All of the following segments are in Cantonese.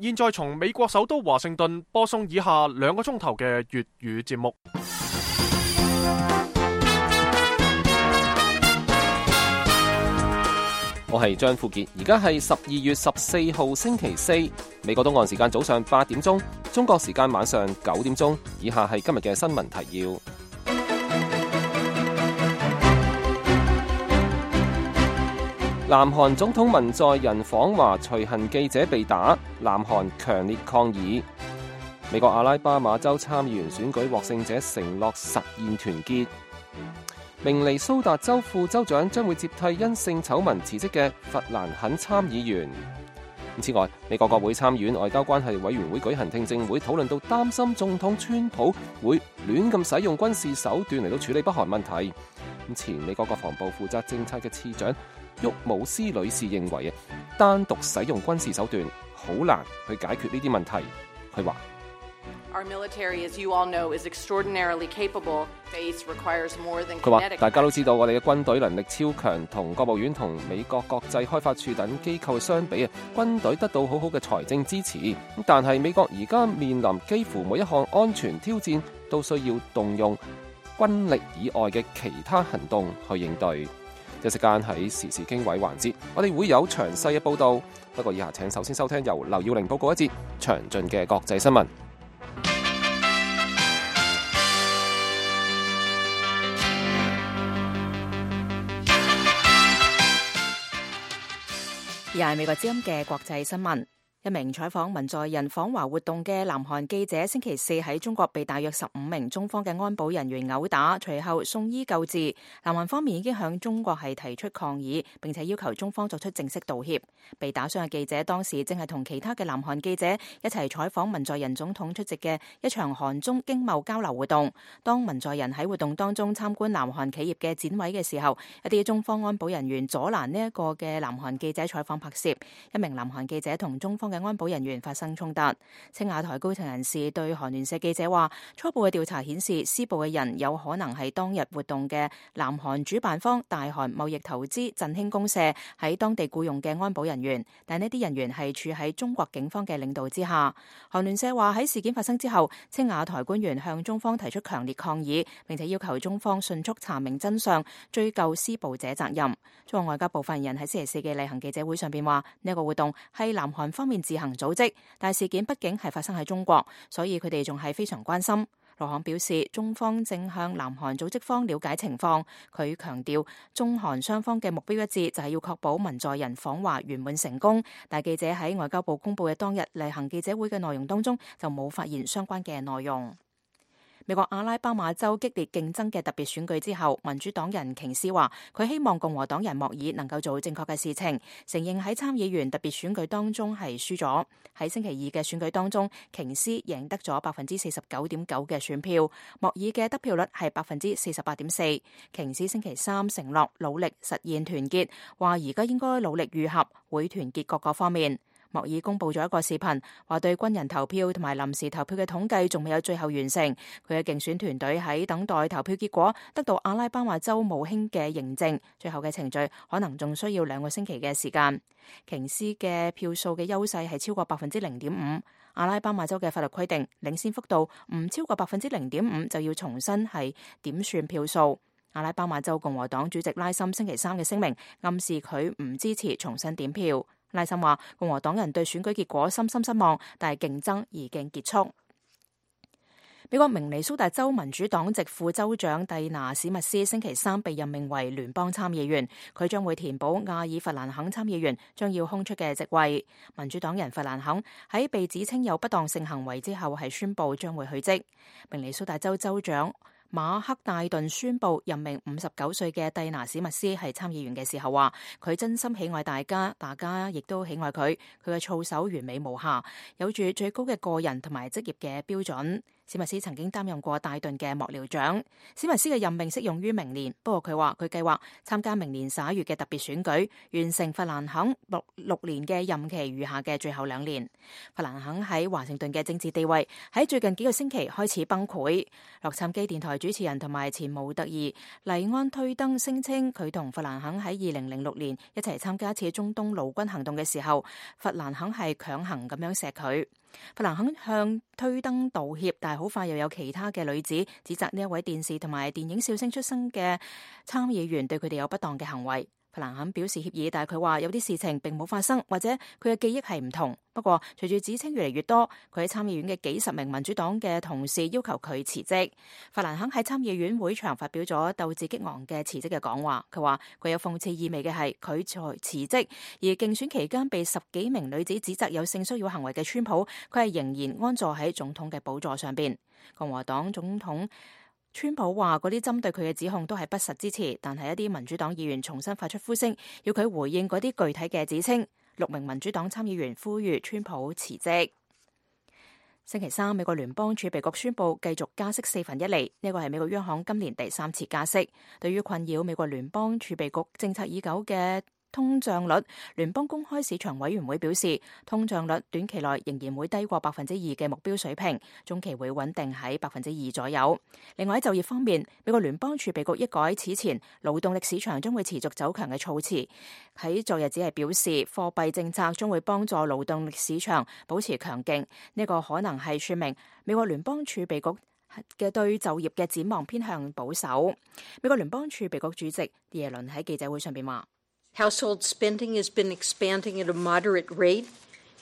現在從美國首都華盛頓播送以下2個鐘頭嘅粵語節目。我係張富傑，而家係12月14號星期四，美國東岸時間早上8點鐘，中國時間晚上9點鐘。以下係今日嘅新聞提要。南韓總統文在寅訪華隨行記者被打，南韓強烈抗議。美國阿拉巴馬州參議員選舉獲勝者承諾實現團結。明尼蘇達州副州長將會接替因性醜聞辭職嘅弗蘭肯參議員。此外，美國國會參議院外交關係委員會舉行聽證會，討論到擔心總統川普會亂咁使用軍事手段嚟到處理北韓問題。前美國國防部負責政策嘅次長沃姆斯女士認為單獨使用軍事手段好難去解決呢啲問題。佢話：Our military, as you all know, is extraordinarily capable. Base requires more than kinetic. 佢話大家都知道我哋嘅軍隊能力超強，同國務院同美國國際開發處等機構相比軍隊得到好好嘅財政支持。但係美國而家面臨幾乎每一項安全挑戰，都需要動用軍力以外嘅其他行動去應對。一時間喺時事經緯環節，我哋會有詳細嘅報導。不過以下請首先收聽由劉耀玲報告一節詳盡嘅國際新聞。而係美國之音嘅國際新聞。一名採訪文在寅訪華活動嘅南韓記者星期四喺中國被大約15名中方嘅安保人員毆打，隨後送醫救治。南韓方面已經向中國係提出抗議，並且要求中方作出正式道歉。被打傷嘅記者當時正係同其他嘅南韓記者一齊採訪文在寅總統出席嘅一場韓中經貿交流活動。當文在寅喺活動當中參觀南韓企業嘅展位嘅時候，一啲中方安保人員阻攔呢一個嘅南韓記者採訪拍攝，一名南韓記者同中方嘅安保人員發生衝突。青瓦台高層人士對韓聯社記者話，初步嘅調查顯示，施暴嘅人有可能係當日活動嘅南韓主辦方大韓貿易投資振興公社喺當地僱傭嘅安保人員，但呢啲人員係處喺中國警方嘅領導之下。韓聯社話喺事件發生之後，青瓦台官員向中方提出強烈抗議，並且要求中方迅速查明真相，追究施暴者責任。中國外交部發言人喺星期四嘅例行記者會上邊話，呢個活動係南韓方面自行組織，但事件畢竟係發生喺中國，所以佢哋仲係非常關心。羅漢表示，中方正向南韓組織方了解情況。佢強調，中韓雙方嘅目標一致，就係要確保文在寅訪華圓滿成功。但記者喺外交部公布嘅當日例行記者會嘅內容當中，就冇發現相關嘅內容。美國阿拉巴馬州激烈競爭嘅特別選舉之後，民主黨人瓊斯話佢希望共和黨人莫爾能夠做正確嘅事情，承認喺參議員特別選舉當中係輸咗。喺星期二嘅選舉當中，瓊斯贏得咗 49.9% 嘅選票，莫爾嘅得票率係 48.4%。瓊斯星期三承諾努力實現團結，話而家應該努力愈合，會團結各個方面。莫爾公布咗一個視頻，話對軍人投票同埋臨時投票嘅統計仲未有最後完成。佢嘅競選團隊喺等待投票結果，得到阿拉巴馬州務卿嘅認證，最後嘅程序可能仲需要2個星期嘅時間。瓊斯嘅票數嘅優勢係超過 0.5%。阿拉巴馬州嘅法律規定，領先幅度唔超過 0.5% 就要重新係點算票數。阿拉巴馬州共和黨主席拉森星期三嘅聲明暗示佢唔支持重新點票。拉森話共和黨人對選舉結果深深失望，但係競爭已經結束。美國明尼蘇達州民主黨籍副州長蒂娜史密斯星期三被任命為聯邦參議員，佢將會填補亞爾弗蘭肯參議員將要空出嘅席位。民主黨人弗蘭肯喺被指稱有不當性行為之後係宣布將會去職。明尼蘇達州州長馬克戴頓宣布任命59歲嘅蒂娜史密斯係參議員嘅時候話，佢真心喜愛大家亦都喜愛佢嘅操守完美無瑕，有住最高嘅個人同埋職業嘅標準。史密斯曾經擔任過戴頓嘅幕僚長。史密斯嘅任命適用於明年，不過佢話佢計劃參加明年11月嘅特別選舉，完成弗蘭肯6年嘅任期餘下嘅最後2年。弗蘭肯喺華盛頓嘅政治地位喺最近幾個星期開始崩潰。洛杉磯電台主持人同埋前模特兒黎安推登聲稱，佢同弗蘭肯喺2006年一齊參加一次中東陸軍行動嘅時候，弗蘭肯係強行咁樣錫佢。弗蘭肯向推登道歉，但係好快又有其他嘅女子指責呢一位電視同埋電影笑星出身嘅參議員對佢哋有不當嘅行為。弗蘭肯表示歉意，但係佢話有啲事情並冇發生，或者佢嘅記憶係唔同。不過隨住指稱越嚟越多，佢喺參議院嘅幾十名民主黨嘅同事要求佢辭職。弗蘭肯喺參議院會場發表咗鬥志激昂嘅辭職嘅講話。佢話佢有諷刺意味嘅係佢在辭職，而競選期間被10幾名女子指責有性騷擾行為嘅川普，佢係仍然安坐喺總統嘅寶座上邊。共和黨總統川普話嗰啲針對佢嘅指控都係不實之詞，但係一啲民主黨議員重新發出呼聲，要佢回應嗰啲具體嘅指稱。6名民主黨參議員呼籲川普辭職。星期三，美國聯邦儲備局宣布繼續加息1/4厘，呢個係美國央行今年第3次加息。對於困擾美國聯邦儲備局政策已久嘅通脹率，聯邦公開市場委員會表示，通脹率短期內仍然會低過2%嘅目標水平，中期會穩定喺2%左右。另外喺就業方面，美國聯邦儲備局一改此前勞動力市場將會持續走強嘅措辭，喺昨日只係表示貨幣政策將會幫助勞動力市場保持強勁。呢個可能係說明美國聯邦儲備局嘅對就業嘅展望偏向保守。美國聯邦儲備局主席耶倫喺記者會上邊話：Household spending has been expanding at a moderate rate.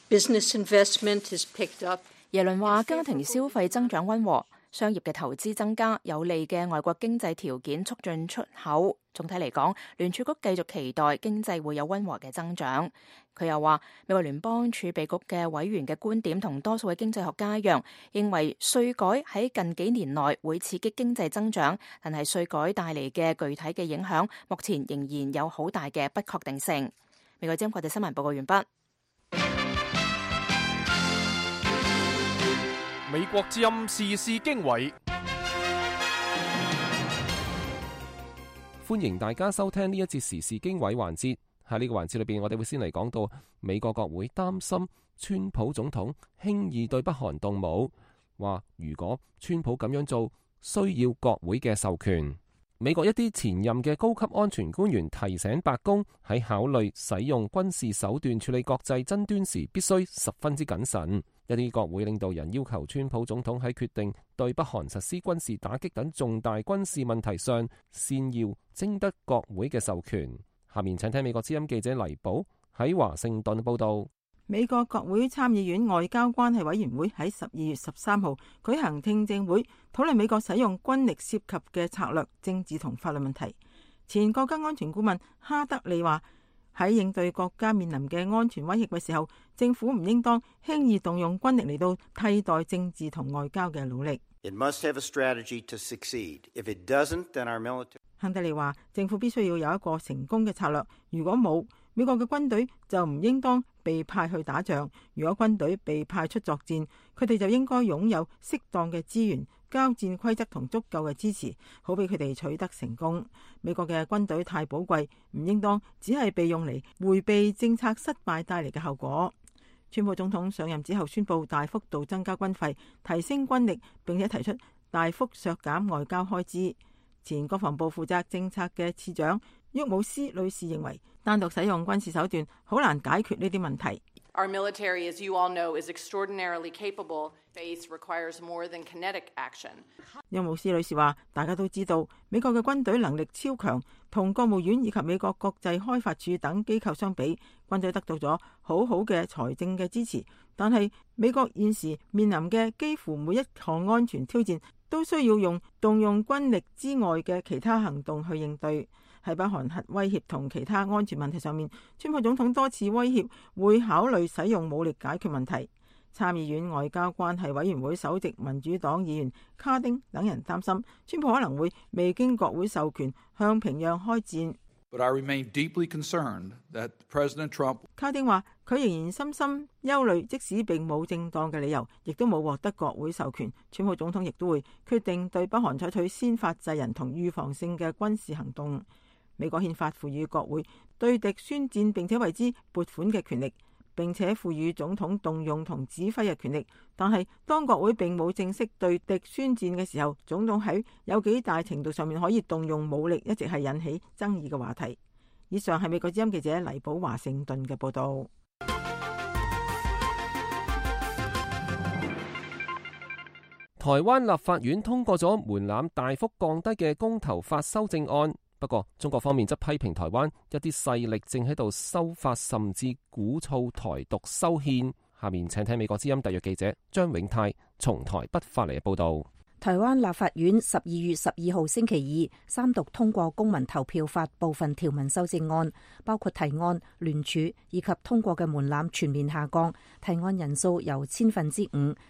Business investment has picked up. 耶倫話家庭消費增長溫和，商業嘅投資增加，有利嘅外國經濟條件促進出口。總體嚟講，聯儲局繼續期待經濟會有溫和嘅增長。佢又話，美國聯邦儲備局嘅委員嘅觀點同多數嘅經濟學家一樣，認為稅改喺近幾年內會刺激經濟增長，但係稅改帶嚟嘅具體嘅影響，目前仍然有好大嘅不確定性。美國之音國際新聞報告完畢。美國之音時事經緯，歡迎大家收聽呢一節時事經緯環節。喺呢個環節裏邊，我哋會先嚟講到美國國會擔心川普總統輕易對北韓動武，話如果川普咁樣做，需要國會嘅授權。美國一啲前任嘅高級安全官員提醒白宮喺考慮使用軍事手段處理國際爭端時，必須十分之謹慎。一啲國會領導人要求川普總統喺決定對北韓實施軍事打擊等重大軍事問題上，先要徵得國會嘅授權。下面請聽美國之音記者黎寶喺華盛頓報道。美國國會參議院外交關係委員會喺12月13號舉行聽證會，討論美國使用軍力涉及嘅策略、政治同法律問題。前國家安全顧問哈德利話，喺應對國家面臨嘅安全威脅嘅時候，政府唔應當輕易動用軍力嚟到替代政治同外交嘅努力。It must have a strategy to succeed. If it doesn't, then our military... 哈德利話，政府必須要有一個成功嘅策略，如果冇，美國嘅軍隊就唔應當被派去打仗。如果軍隊被派出作戰，佢哋就應該擁有適當嘅資源、交戰規則同足夠嘅支持，好俾佢哋取得成功。美國嘅軍隊太寶貴，唔應當只係被用嚟迴避政策失敗帶嚟嘅後果。川普總統上任之後宣布大幅度增加軍費，提升軍力，並且提出大幅削減外交開支。前國防部負責政策嘅次長沃姆斯女士認為，單獨使用軍事手段好難解決呢啲問題。Our military, as you all know, is extraordinarily capable. Base requires more than kinetic action. 沃姆斯女士話，大家都知道美國嘅軍隊能力超強，同國務院以及美國國際開發署等機構相比，軍隊得到咗好好嘅財政嘅支持。但係美國現時面臨嘅幾乎每一項安全挑戰，都需要動用軍力之外嘅其他行動去應對。喺北韓核威脅同其他安全問題上面，川普總統多次威脅會考慮使用武力解決問題。參議院外交關係委員會首席民主黨議員卡丁等人擔心，川普可能會未經國會授權向平壤開戰。But I remain deeply concerned that President Trump.卡丁話：佢仍然深深憂慮，即使並冇正當嘅理由，亦都冇獲得國會授權，川普總統亦都會決定對北韓採取先發制人同預防性嘅軍事行動。美國憲法賦予國會對敵宣戰並且為之撥款嘅權力，並且賦予總統動用同指揮嘅權力。但係當國會並冇正式對敵宣戰嘅時候，總統喺有幾大程度上面可以動用武力，一直係引起爭議嘅話題。以上係美國之音記者黎寶華盛頓嘅報道。台灣立法院通過咗門檻大幅降低嘅公投法修正案，不過中國方面則批評台灣一啲勢力正喺度修法，甚至鼓噪台獨修憲。下面請聽美國之音特約記者張永泰從台北發嚟嘅報道。台灣立法院12月12號星期二三讀通過公民投票法部分條文修正案，包括提案、聯署以及通過嘅門檻全面下降，提案人數由5%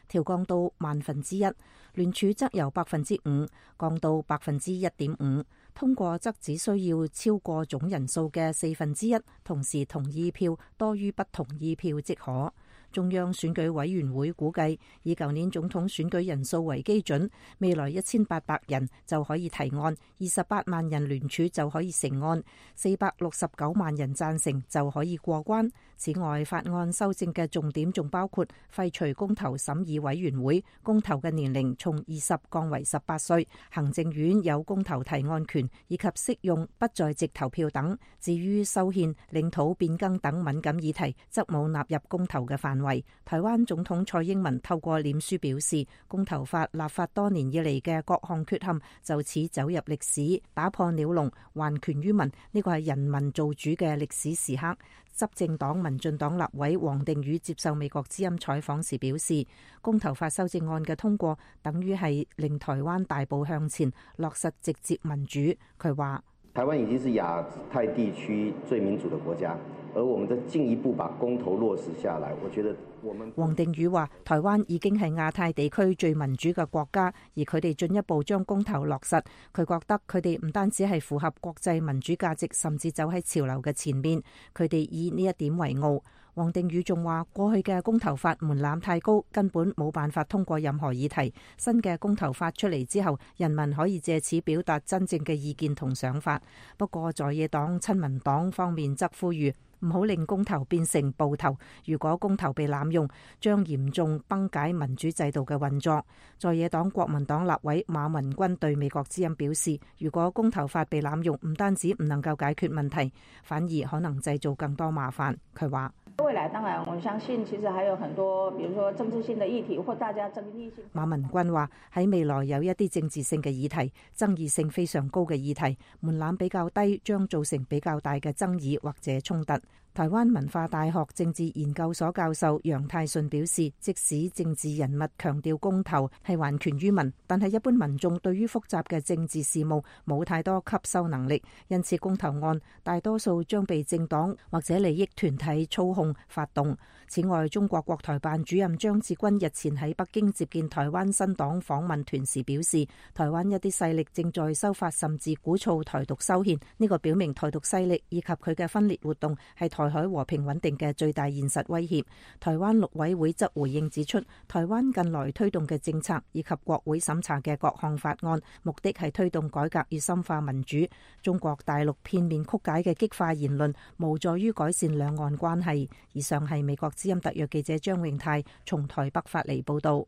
調降到1/1000，聯署則由5%降到1.5%，通過則只需要超過總人數嘅1/4，同時同意票多於不同意票即可。中央選舉委員會估計，以舊年總統選舉人數為基準，未來1800人就可以提案，28萬人聯署就可以成案，469萬人贊成就可以過關。此外，法案修正嘅重點仲包括廢除公投審議委員會，公投嘅年齡從20降為18歲，行政院有公投提案權，以及適用不在籍投票等。至於修憲、領土變更等敏感議題，則冇納入公投嘅範圍。台灣總統蔡英文透過臉書表示，公投法立法多年以嚟嘅各項缺陷就此走入歷史，打破鳥籠，還權於民，呢個係人民做主嘅歷史時刻。執政黨民進黨立委王定宇接受美國之音採訪時表示，公投法修正案嘅通過等於係令台灣大步向前，落實直接民主。佢話台灣已經是亞太地區最民主的國家，而我們再進一步把公投落實下來，我覺得我們。王定宇話：台灣已經係亞太地區最民主嘅國家，而佢哋進一步將公投落實，佢覺得佢哋唔單止係符合國際民主價值，甚至走喺潮流嘅前面，佢哋以呢一點為傲。王定宇仲話：過去嘅公投法門檻太高，根本冇辦法通過任何議題。新嘅公投法出嚟之後，人民可以借此表達真正嘅意見同想法。不過在野黨親民黨方面則呼籲唔好令公投變成暴投，如果公投被濫用，將嚴重崩解民主制度嘅運作。在野黨國民黨立委馬文君對美國之音表示，如果公投法被濫用，唔單止唔能夠解決問題，反而可能製造更多麻煩。佢話未來當然我相信其實還有很多，比如說政治性的議題或大家爭議性。馬文君話喺未來有一啲政治性嘅議題，爭議性非常高嘅議題，門檻比較低，將造成比較大嘅爭議或者衝突。台灣文化大學政治研究所教授楊泰順表示，即使政治人物強調公投係還權於民，但係一般民眾對於複雜嘅政治事務冇太多吸收能力，因此公投案大多數將被政黨或者利益團體操控發動。此外，中國國台辦主任張志軍日前喺北京接見台灣新黨訪問團時表示，台灣一啲勢力正在修法，甚至鼓噪台獨修憲，呢個表明台獨勢力以及佢嘅分裂活動係台海和平穩定嘅最大現實威脅。台灣陸委會則回應指出，台灣近來推動嘅政策以及國會審查嘅各項法案，目的係推動改革與深化民主。中國大陸片面曲解嘅激化言論，無助於改善兩岸關係。以上係美國之音特約記者張永泰從台北發嚟報道。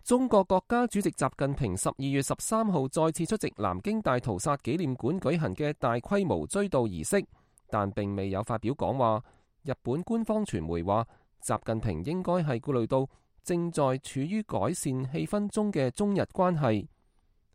中國國家主席習近平12月13號再次出席南京大屠殺紀念館舉行嘅大規模追悼儀式，但並未有發表講話。日本官方傳媒話，習近平應該係顧慮到正在處於改善氣氛中嘅中日關係。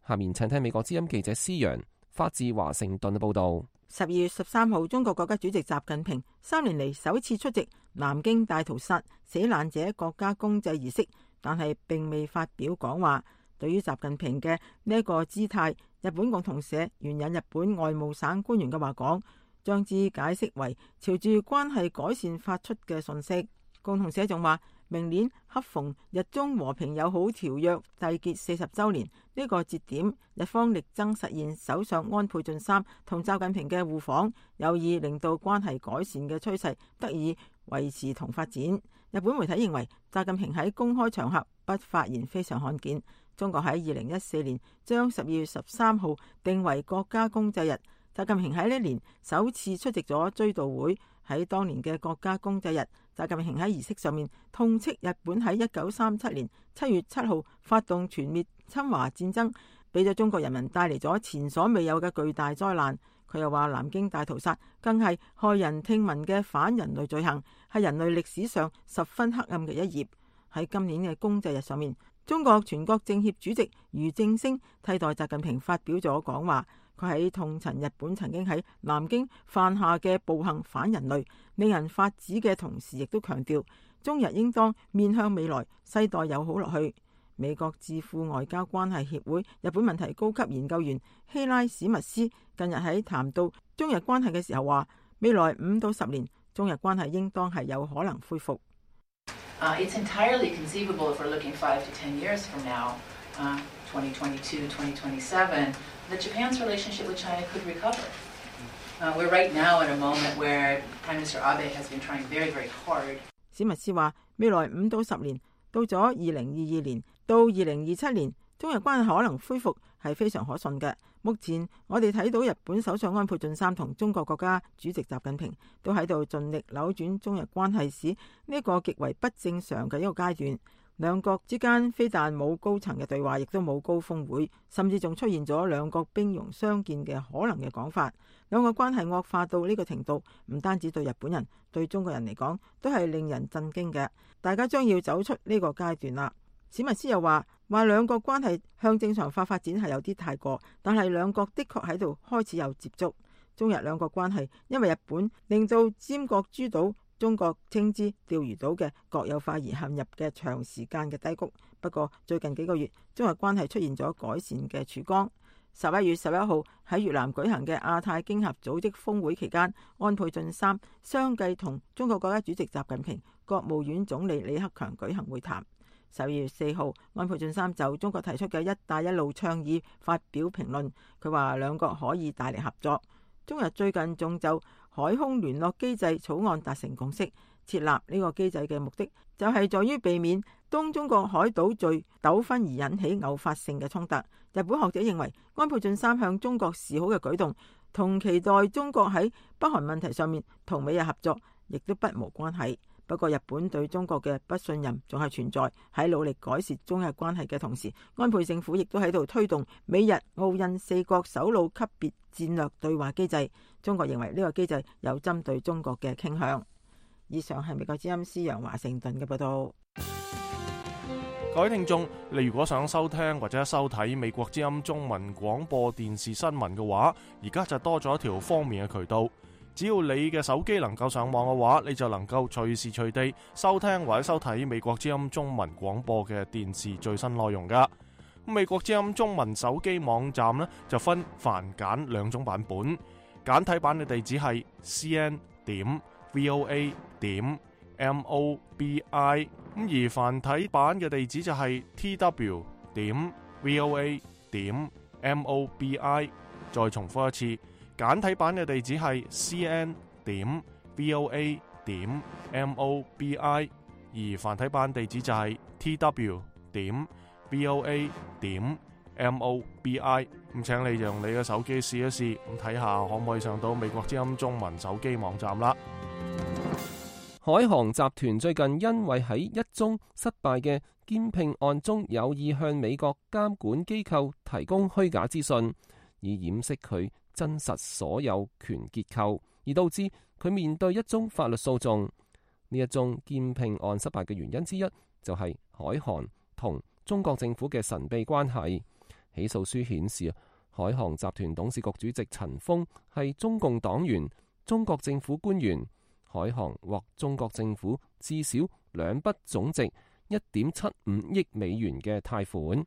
下面請聽美國之音記者施陽發自華盛頓嘅報道。12月13號，中國國家主席習近平3年嚟首次出席南京大屠殺死難者國家公祭儀式，但係並未發表講話。對於習近平嘅呢一個姿態，日本共同社援引日本外務省官員嘅話講，將之解釋為朝住關係改善發出嘅訊息。共同社仲話，明年恰逢日中和平友好條約締結40週年呢個節點，日方力爭實現首相安倍晉三同習近平嘅互訪，有意令到關係改善嘅趨勢得以維持同發展。日本媒體認為，習近平喺公開場合不發言非常罕見。中國喺2014年將12月13號定為國家公祭日，習近平喺呢年首次出席咗追悼會。喺當年嘅國家公祭日，習近平喺儀式上面痛斥日本喺1937年7月7號發動全面侵華戰爭，俾咗中國人民帶嚟咗前所未有嘅巨大災難。佢又話南京大屠殺更係駭人聽聞嘅反人類罪行，係人類歷史上十分黑暗嘅一頁。喺今年嘅公祭日上面，中國全國政協主席俞正聲替代習近平發表咗講話。佢喺痛陳日本曾經喺南京犯下嘅暴行反人類，令人髮指嘅同時，亦都強調中日應當面向未來，世代友好落去。美國智庫外交關係協會日本問題高級研究員希拉史密斯近日喺談到中日關係嘅時候話，未來5到10年中日關係應當係有可能恢復。It's entirely conceivable if we're looking 5 to 10 years from now, 2022, 2027, that Japan's relationship with China could recover. We're right now at a moment where Prime Minister Abe has been trying very, very hard. 史密斯話，未來5到10年，到咗2022年到2027年，中日關係可能恢復係非常可信嘅。目前我哋睇到日本首相安倍晉三同中國國家主席習近平都喺度盡力扭轉中日關係史呢個極為不正常嘅一個階段。兩國之間非但冇高層嘅對話，亦都冇高峰會，甚至仲出現咗兩國兵戎相見嘅可能嘅講法。兩個關係惡化到呢個程度，唔單止對日本人，對中國人嚟講都係令人震驚嘅。大家將要走出呢個階段啦。史密斯又話兩國關係向正常化發展係有啲太過，但係兩國的確喺度開始有接觸。中日兩國關係因為日本令到尖閣諸島、中國稱之釣魚島嘅國有化而陷入嘅長時間嘅低谷。不過最近幾個月，中日關係出現咗改善嘅曙光。11月11號喺越南舉行嘅亞太經合組織峰會期間，安倍晉三相繼同中國國家主席習近平、國務院總理李克強舉行會談。12月4號，安倍晉三就中國提出嘅一帶一路倡議發表評論，佢話兩國可以大力合作。中日最近仲就海空聯絡機制草案達成共識，設立呢個機制嘅目的就係在於避免東中國海島嶼糾紛而引起偶發性嘅衝突。日本學者認為，安倍晉三向中國示好嘅舉動，同期待中國喺北韓問題上面同美日合作，亦都不無關係。不過日本對中國嘅不信任仲係存在，喺努力改善中日關係嘅同時，安倍政府亦都喺度推動美日澳印4國首腦級別戰略對話機制。中國認為呢個機制有針對中國嘅傾向。以上係美國之音司楊華盛頓嘅報道。各位聽眾，你如果想收聽或者收睇美國之音中文廣播電視新聞嘅話，而家就多咗一條方便嘅渠道。只要你嘅手機能夠上網嘅話，你就能夠隨時隨地收聽或者收睇美國之音中文廣播嘅電視最新內容噶。美國之音中文手機網站呢，就分繁簡兩種版本，簡體版嘅地址係 cn.voa.mobi， 而繁體版嘅地址就係 tw.voa.mobi。 再重複一次，簡體版嘅地址係 cn.voa.mobi， 而繁體版地址就係 tw.voa.mobi。 咁請你用你嘅手機試一試，咁睇下可唔可以上到美國之音中文手機網站啦。海航集團最近因為喺一宗失敗嘅兼併案中有意向美國監管機構提供虛假資訊，以掩飾佢真實所有權結構，而導致佢面對一宗法律訴訟。呢一宗兼併案失敗嘅原因之一就係海航同中國政府嘅神秘關係。起訴書顯示，海航集團董事局主席陳鋒係中共黨員、中國政府官員。海航獲中國政府至少2筆總值1.75億美元嘅貸款。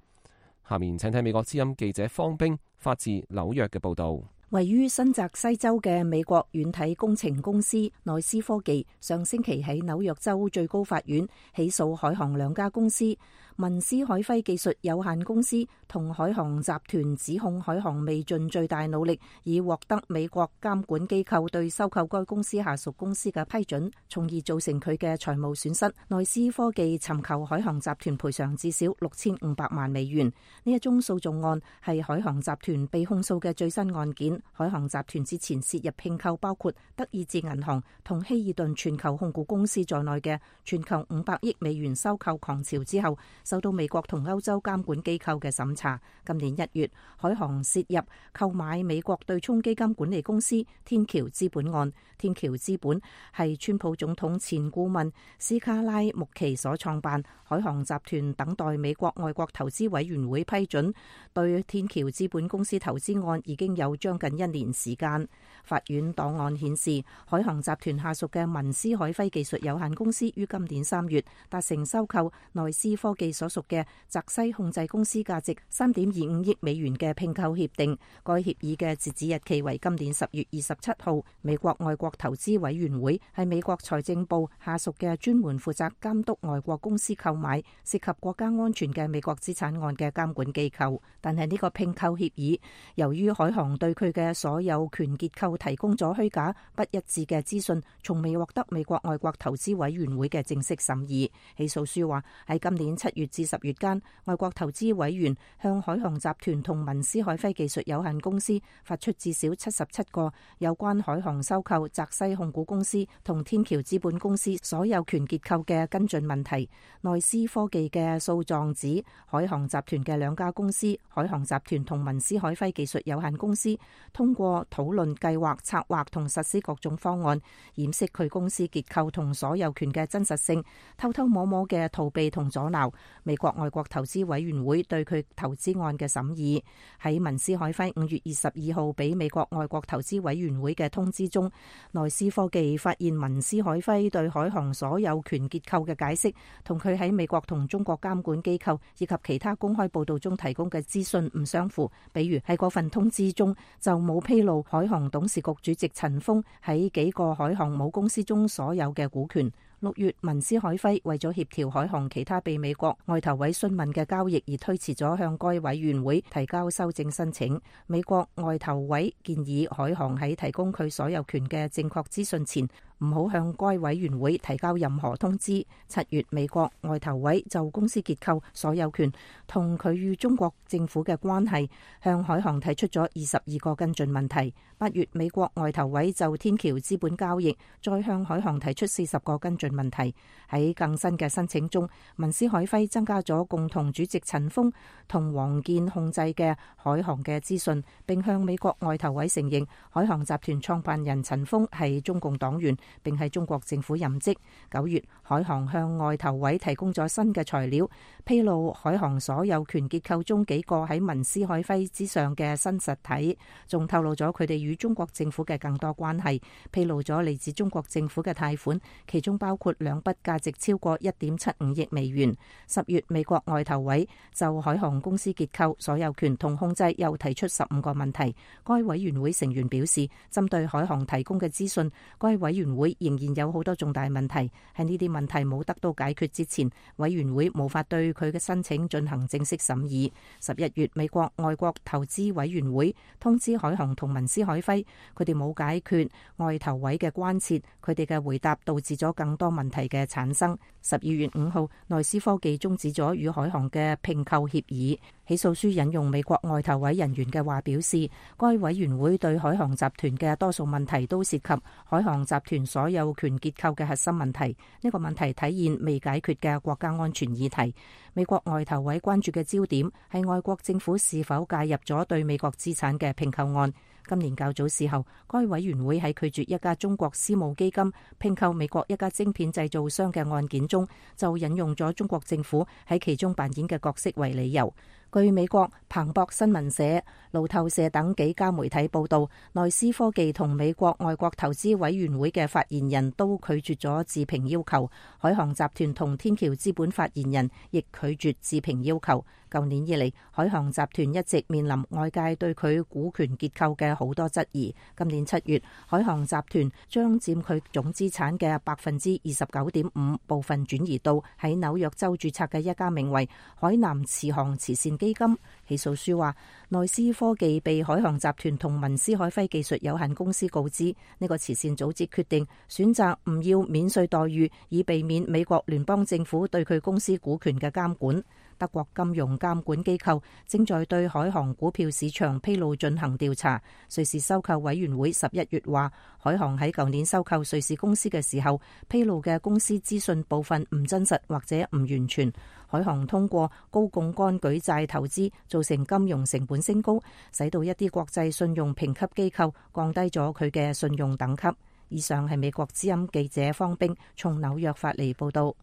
下面請睇美國之音記者方冰發自紐約嘅報道。位於新澤西州嘅美國軟體工程公司內斯科技上星期喺紐約州最高法院起訴海航兩家公司，文斯海輝技術有限公司同海航集團指控海航未盡最大努力以獲得美國監管機構對收購該公司下屬公司嘅批准，從而造成佢嘅財務損失。內斯科技尋求海航集團賠償至少6500萬美元。呢一宗訴訟案係海航集團被控訴嘅最新案件。海航集團之前涉入併購包括德意志銀行同希爾頓全球控股公司在內嘅全球500億美元收購狂潮之後，受到美國同歐洲監管機構嘅審查。今年1月，海航涉入購買美國對沖基金管理公司天橋資本案。天橋資本係川普總統前顧問斯卡拉穆奇所創辦。海航集團等待美國外國投資委員會批准對天橋資本公司投資案已經有將近1年時間。法院檔案顯示，海航集團下屬嘅文斯海輝技術有限公司於今年3月達成收購內斯科技所屬嘅澤西控制公司價值3.25億美元嘅併購協定。該協議嘅截止日期為今年10月27號。美國外國投資委員會係美國財政部下屬嘅專門負責監督外國公司購買涉及國家安全嘅美國資產案嘅監管機構。但係呢個併購協議由於海航對佢嘅所有權結構提供咗虛假不一致嘅資訊，從未獲得美國外國投資委員會嘅正式審議。起訴書話喺今年7月至10月間，外國投資委員向海航集團同文斯海輝技術有限公司發出至少77個有關海航收購澤西控股公司同天橋資本公司所有權結構嘅跟進問題。內斯科技嘅訴狀指，海航集團嘅兩家公司海航集團同文斯海輝技術有限公司通過討論計劃、策劃同實施各種方案，掩飾佢公司結構同所有權嘅真實性，偷偷摸摸嘅逃避同阻撓美國外國投資委員會對佢投資案嘅審議。喺文斯海輝5月22號俾美國外國投資委員會嘅通知中，內斯科技發現文斯海輝對海航所有權結構嘅解釋同佢喺美國同中國監管機構以及其他公開報道中提供嘅資訊唔相符。比如喺嗰份通知中就冇披露海航董事局主席陳鋒喺幾個海航母公司中所有嘅股權。6月，文斯海輝為咗協調海航其他被美國外投委詢問嘅交易而推遲咗向該委員會提交修正申請。美國外投委建議海航喺提供佢所有權嘅正確資訊前唔好向該委員會提交任何通知。7月，美國外投委就公司結構、所有權同佢與中國政府嘅關係向海航提出咗22個跟進問題。8月，美國外投委就天橋資本交易再向海航提出40個跟進問題。喺更新嘅申請中，文斯海輝增加咗共同主席陳鋒同王健控制嘅海航嘅資訊，並向美國外投委承認海航集團創辦人陳鋒係中共黨員，並喺中國政府任職。9月，海航向外投委提供咗新嘅材料，披露海航所有權結構中幾個喺文斯海輝之上嘅新實體，仲透露咗佢哋與中國政府嘅更多關係，披露咗嚟自中國政府嘅貸款，其中包括2筆價值超過1.75億美元。10月，美國外投委就海航公司結構、所有權同控制又提出15個問題。該委員會成員表示，針對海航提供嘅資訊，該委員會仍然有好多重大問題。喺呢啲問題冇得到解決之前，委員會無法對佢嘅申請進行正式審議。11月，美國外國投資委員會通知海航同文斯海輝，佢哋冇解決外投委嘅關切，佢哋嘅回答導致咗更多問題嘅產生。12月5號，內斯科技終止咗與海航嘅併購協議。起訴書引用美國外投委人員嘅話表示，該委員會對海航集團嘅多數問題都涉及海航集團所有權結構嘅核心問題。呢個問題體現未解決嘅國家安全議題。美國外投委關注嘅焦點係外國政府是否介入咗對美國資產嘅併購案。今年較早時候，該委員會喺拒絕一家中國私募基金併購美國一家晶片製造商嘅案件中，就引用咗中國政府喺其中扮演嘅角色為理由。據美國彭博新聞社、路透社等幾家媒體報道，內斯科技同美國外國投資委員會嘅發言人都拒絕咗置評要求，海航集團同天橋資本發言人亦拒絕置評要求。舊年以嚟，海航集團一直面臨外界對佢股權結構嘅好多質疑。今年7月，海航集團將佔佢總資產嘅29.5%部分轉移到喺紐約州註冊嘅一家名為海南慈航慈善基金。起訴書話，內斯科技被海航集團同文斯海輝技術有限公司告知，呢個慈善組織決定選擇唔要免稅待遇，以避免美國聯邦政府對佢公司股權嘅監管。德國金融監管機構正在對海航股票市場披露進行調查。瑞士收購委員會11月話，海航喺舊年收購瑞士公司嘅時候，披露嘅公司資訊部分唔真實或者唔完全。海航通過高槓桿舉債投資，造成金融成本升高，使到一啲國際信用評級機構降低咗佢嘅信用等級。以上係美國之音記者方冰從紐約發嚟報道。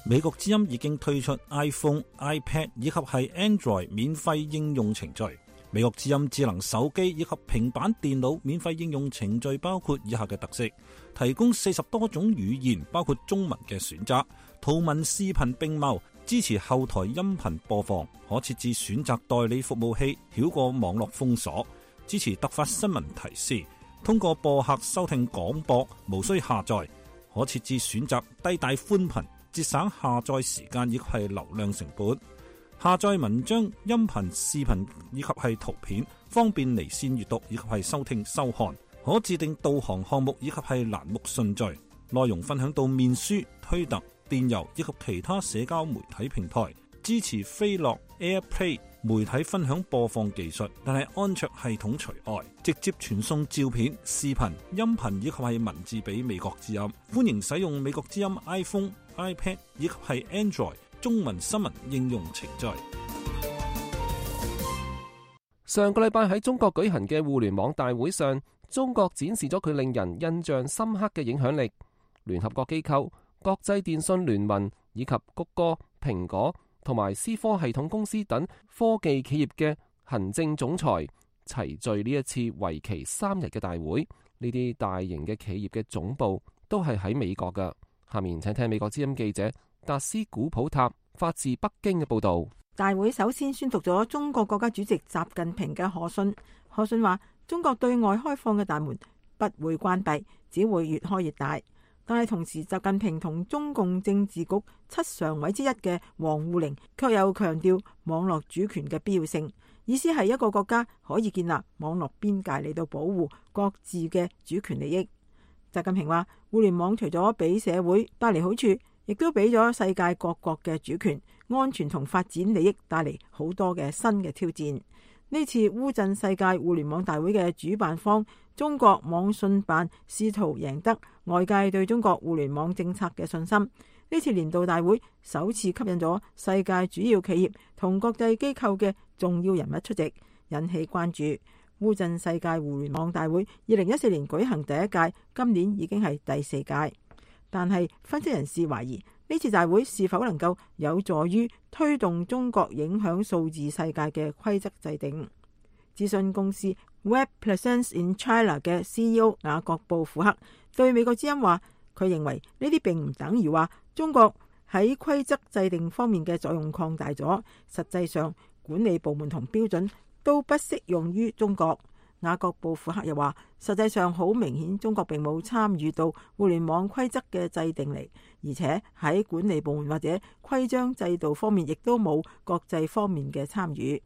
美國之音已經推出 iPhone、iPad 以及係 Android 免費應用程序。美國之音智能手機以及平板電腦免費應用程序包括以下嘅特色：提供40多種語言，包括中文嘅選擇，圖文視頻並茂，支持後台音頻播放，可設置選擇代理服務器，繞過網絡封鎖，支持突發新聞提示，通過播客收聽廣播，無需下載，可設置選擇低帶寬頻，節省下載時間以及係流量成本，下載文章、音頻、視頻以及係圖片，方便離線閱讀以及係收聽收看，可自定導航項目以及係欄目順序，內容分享到面書、推特、電郵以及其他社交媒體平台，支持飛樂 AirPlay 媒體分享播放技術，但係安卓系統除外，直接傳送照片、視頻、音頻以及係文字俾美國之音。歡迎使用美國之音 iPhone、iPad 以及係 Android 中文新聞應用程序。上個禮拜喺中國舉行嘅互聯網大會上，中國展示咗佢令人印象深刻嘅影響力。聯合國機構、國際電信聯盟以及谷歌、蘋果同埋思科系統公司等科技企業嘅行政總裁齊聚呢一次為期3日嘅大會。呢啲大型嘅企業嘅總部都係喺美國㗎。下面請聽美國之音記者達斯古普塔發自北京嘅報道。大會首先宣讀咗中國國家主席習近平嘅賀信。賀信話，中國對外開放嘅大門不會關閉，只會越開越大。但係同時，習近平同中共政治局7常委之一嘅王滬寧卻又強調網絡主權嘅必要性，意思係一個國家可以建立網絡邊界嚟到保護各自嘅主權利益。習近平話，互聯網除咗俾社會帶嚟好處，亦都俾咗世界各國嘅主權、安全同發展利益帶嚟好多嘅新嘅挑戰。呢次烏鎮世界互聯網大會嘅主辦方中國網信辦試圖贏得外界對中國互聯網政策嘅信心。呢次年度大會首次吸引咗世界主要企業同國際機構嘅重要人物出席，引起關注。烏鎮世界互聯網大會2014年舉行第一屆，今年已經係第4屆。但係分析人士懷疑呢次大會是否能夠有助於推動中國影響數字世界嘅規則制定。諮詢公司 Web Presence in China 嘅 CEO 雅各布庫克對美國之音話，佢認為呢啲並唔等於話中國喺規則制定方面嘅作用擴大咗，實際上管理部門同標準都不適用於中國。雅各布庫克又話，實際上好明顯中國並冇參與到互聯網規則嘅制定嚟，而且喺管理部門或者規章制度方面亦都冇國際方面嘅參與。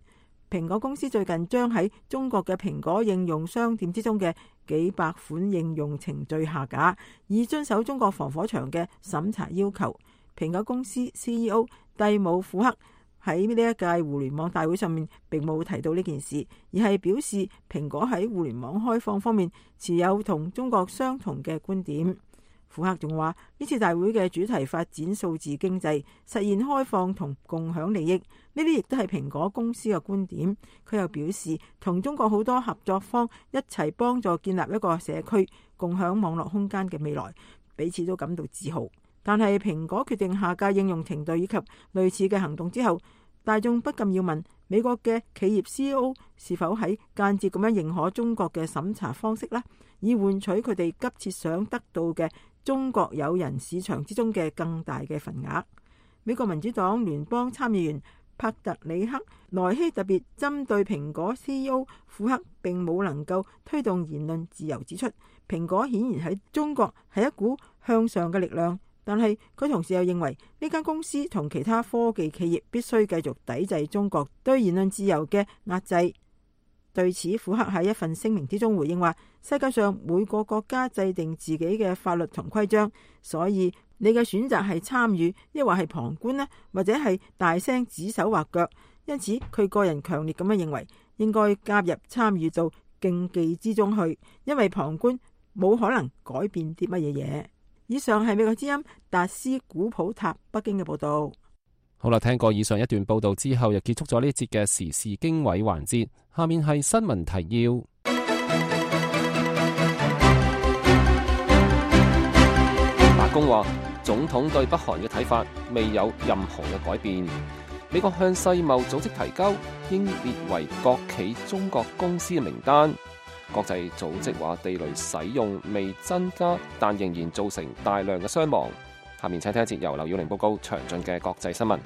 蘋果公司最近將喺中國嘅蘋果應用商店之中嘅幾百款應用程序下架，以遵守中國防火牆嘅審查要求。蘋果公司 CEO 蒂姆庫克喺呢一屆互聯網大會上面並冇提到呢件事，而係表示蘋果喺互聯網開放方面持有同中國相同嘅觀點。庫克仲話，呢次大會嘅主題發展數字經濟，實現開放同共享利益，呢啲亦都係蘋果公司嘅觀點。佢又表示，同中國好多合作方一齊幫助建立一個社區，共享網絡空間嘅未來，彼此都感到自豪。但係蘋果決定下架應用程序以及類似嘅行動之後，大眾不禁要問美國嘅企業 CEO 是否喺間接咁樣認可中國嘅審查方式呢，以換取佢哋急切想得到嘅中國有人市場之中嘅更大嘅份額。美國民主黨聯邦參議員帕特里克萊希特別針對蘋果 CEO 庫克並冇能夠推動言論自由指出，蘋果顯然喺中國係一股向上嘅力量，但係佢同時又認為呢間公司同其他科技企業必須繼續抵制中國對言論自由嘅壓制。對此，庫克喺一份聲明之中回應話，世界上每個國家制定自己嘅法律同規章，所以你嘅選擇係參與，抑或係旁觀呢，或者係大聲指手畫腳。因此，佢個人強烈咁樣認為，應該加入參與到競技之中去，因為旁觀冇可能改變啲乜嘢嘢。以上係美國之音達斯古普塔北京嘅報道。好啦，聽過以上一段報道之後，又結束咗呢節嘅時事經緯環節。下面係新聞提要。白宮話，總統對北韓嘅睇法未有任何嘅改變。美國向世貿組織提交應列為國企中國公司嘅名單。國際組織話地雷使用未增加，但仍然造成大量嘅傷亡。下面請聽一節由劉耀玲報告詳盡嘅國際新聞。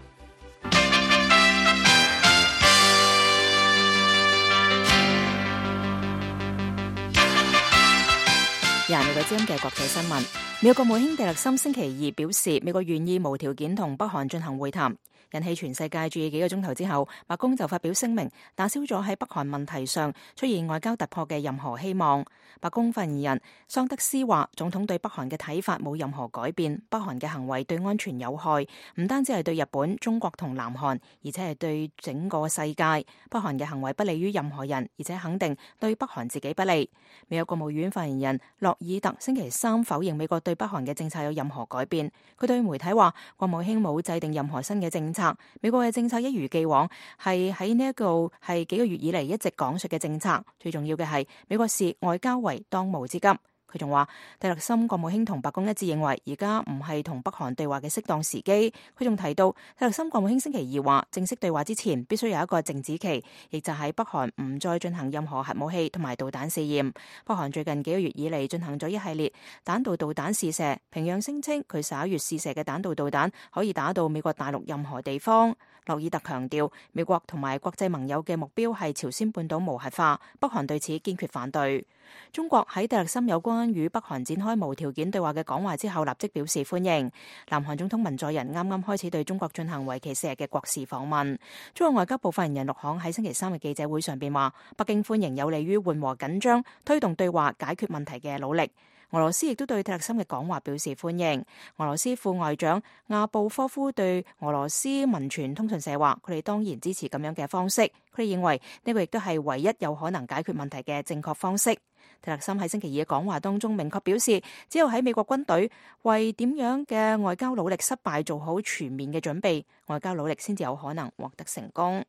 廿六個之音嘅國際新聞，美國國務卿蒂勒森星期二表示，美國願意無條件同北韓進行會談，引起全世界注意。幾個鐘頭之後，白宮就發表聲明，打消咗喺北韓問題上出現外交突破嘅任何希望。白宮發言人桑德斯話，總統對北韓嘅睇法冇任何改變，北韓嘅行為對安全有害，唔單止係對日本、中國同南韓，而且係對整個世界。北韓嘅行為不利於任何人，而且肯定對北韓自己不利。美國國務院發言人洛爾特星期三否認美國對北韓嘅政策有任何改變。佢對媒體話，國務卿冇制定任何新嘅政策，美國嘅政策一如既往，係喺呢一個係幾個月以嚟一直講述嘅政策。最重要嘅係美國視外交為當務之急。佢仲話，蒂勒森國務卿同白宮一致認為，而家唔係同北韓對話嘅適當時機。佢仲提到，蒂勒森國務卿星期二話，正式對話之前必須有一個靜止期，亦就係北韓唔再進行任何核武器同埋導彈試驗。北韓最近幾個月以嚟進行咗一系列彈道導彈試射，平壤聲稱佢11月試射嘅彈道導彈可以打到美國大陸任何地方。洛爾特強調，美國同埋國際盟友嘅目標係朝鮮半島無核化，北韓對此堅決反對。中國喺蒂勒森有關與北韓展開無條件對話嘅講話之後，立即表示歡迎。南韓總統文在寅啱啱開始對中國進行為期4日嘅國事訪問。中國外交部發言人陸慷喺星期三嘅記者會上邊話，北京歡迎有利於緩和緊張、推動對話解決問題嘅努力。俄羅斯亦都對蒂勒森嘅講話表示歡迎。俄羅斯副外長亞布科夫對俄羅斯民傳通訊社話，佢哋當然支持咁樣嘅方式，佢哋認為呢個亦都係唯一有可能解決問題嘅正確方式。蒂勒森喺星期二嘅講話當中明確表示，只有喺美國軍隊為點樣嘅外交努力失敗做好全面嘅準備，外交努力先至有可能獲得成功。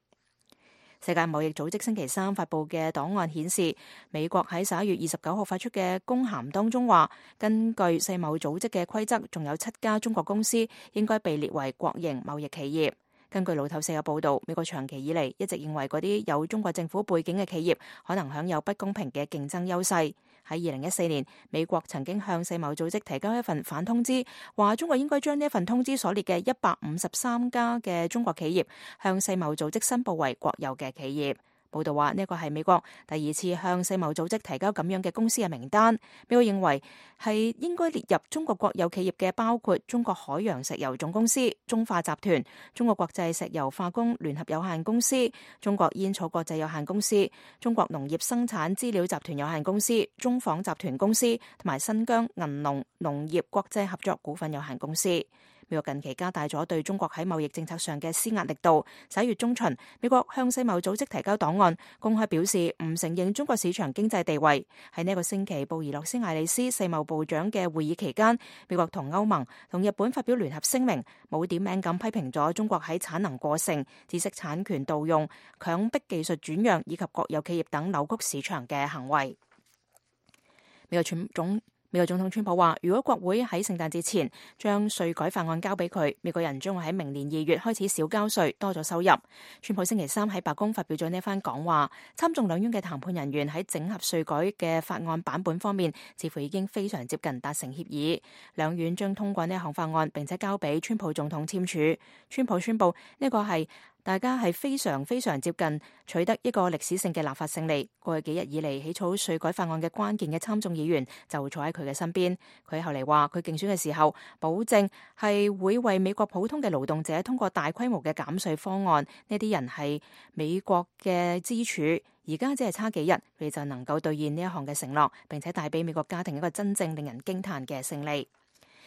世界貿易組織星期三發布嘅檔案顯示，美國喺11月29號發出嘅公函當中話，根據世貿組織嘅規則，仲有7家中國公司應該被列為國營貿易企業。根據路透社嘅報導，美國長期以嚟一直認為嗰啲有中國政府背景嘅企業可能享有不公平嘅競爭優勢。喺2014年，美國曾經向世貿組織提交一份反通知，話中國應該將呢一份通知所列嘅153家嘅中國企業向世貿組織申報為國有嘅企業。報道話呢個係美國第2次向世貿組織提交咁樣嘅公司嘅名單。美國認為係應該列入中國國有企業嘅包括中國海洋石油總公司、中化集團、中國國際石油化工聯合有限公司、中國煙草國際有限公司、中國農業生產資料集團有限公司、中紡集團公司同埋新疆銀農農業國際合作股份有限公司。美國近期加大咗對中國喺貿易政策上嘅施壓力度。11月中旬，美國向世貿組織提交檔案，公開表示唔承認中國市場經濟地位。喺呢個星期，布宜諾斯艾利斯世貿部長嘅會議期間，美國同歐盟同日本發表聯合聲明，冇點名咁批評咗中國喺產能過剩、知識產權盜用、強迫技術轉讓以及國有企業等扭曲市場嘅行為。美國總統川普話，如果國會喺聖誕節前將稅改法案交俾佢，美國人將會喺明年2月開始少交稅，多咗收入。川普星期三喺白宮發表咗呢番講話，參眾兩院嘅談判人員喺整合稅改嘅法案版本方面，似乎已經非常接近達成協議。兩院將通過呢項法案，並且交俾川普總統簽署。川普宣布呢個係大家係非常接近取得一個歷史性嘅立法勝利。過去幾日以嚟起草稅改法案嘅關鍵嘅參眾議員就會坐喺佢嘅身邊。佢後嚟話，佢競選嘅時候保證係會為美國普通嘅勞動者通過大規模嘅減稅方案。呢啲人係美國嘅支柱，而家只係差幾日，佢哋就能夠兌現呢一項嘅承諾，並且帶俾美國家庭一個真正令人驚嘆嘅勝利。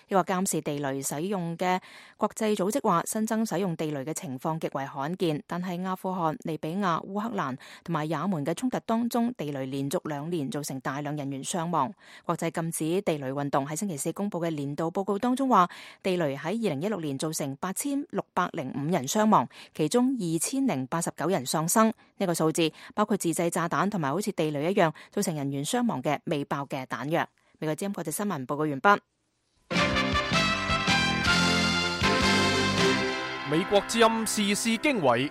呢個監視地雷使用嘅國際組織話，新增使用地雷嘅情況極為罕見，但係阿富汗、利比亞、烏克蘭同埋也門嘅衝突當中，地雷連續2年造成大量人員傷亡。國際禁止地雷運動喺星期四公布嘅年度報告當中話，地雷喺2016年造成8605人傷亡，其中2089人喪生。呢個數字包括自製炸彈同埋好似地雷一樣造成人員傷亡嘅未爆嘅彈藥。美國之音國際新聞報告完畢。美國之音時事經緯，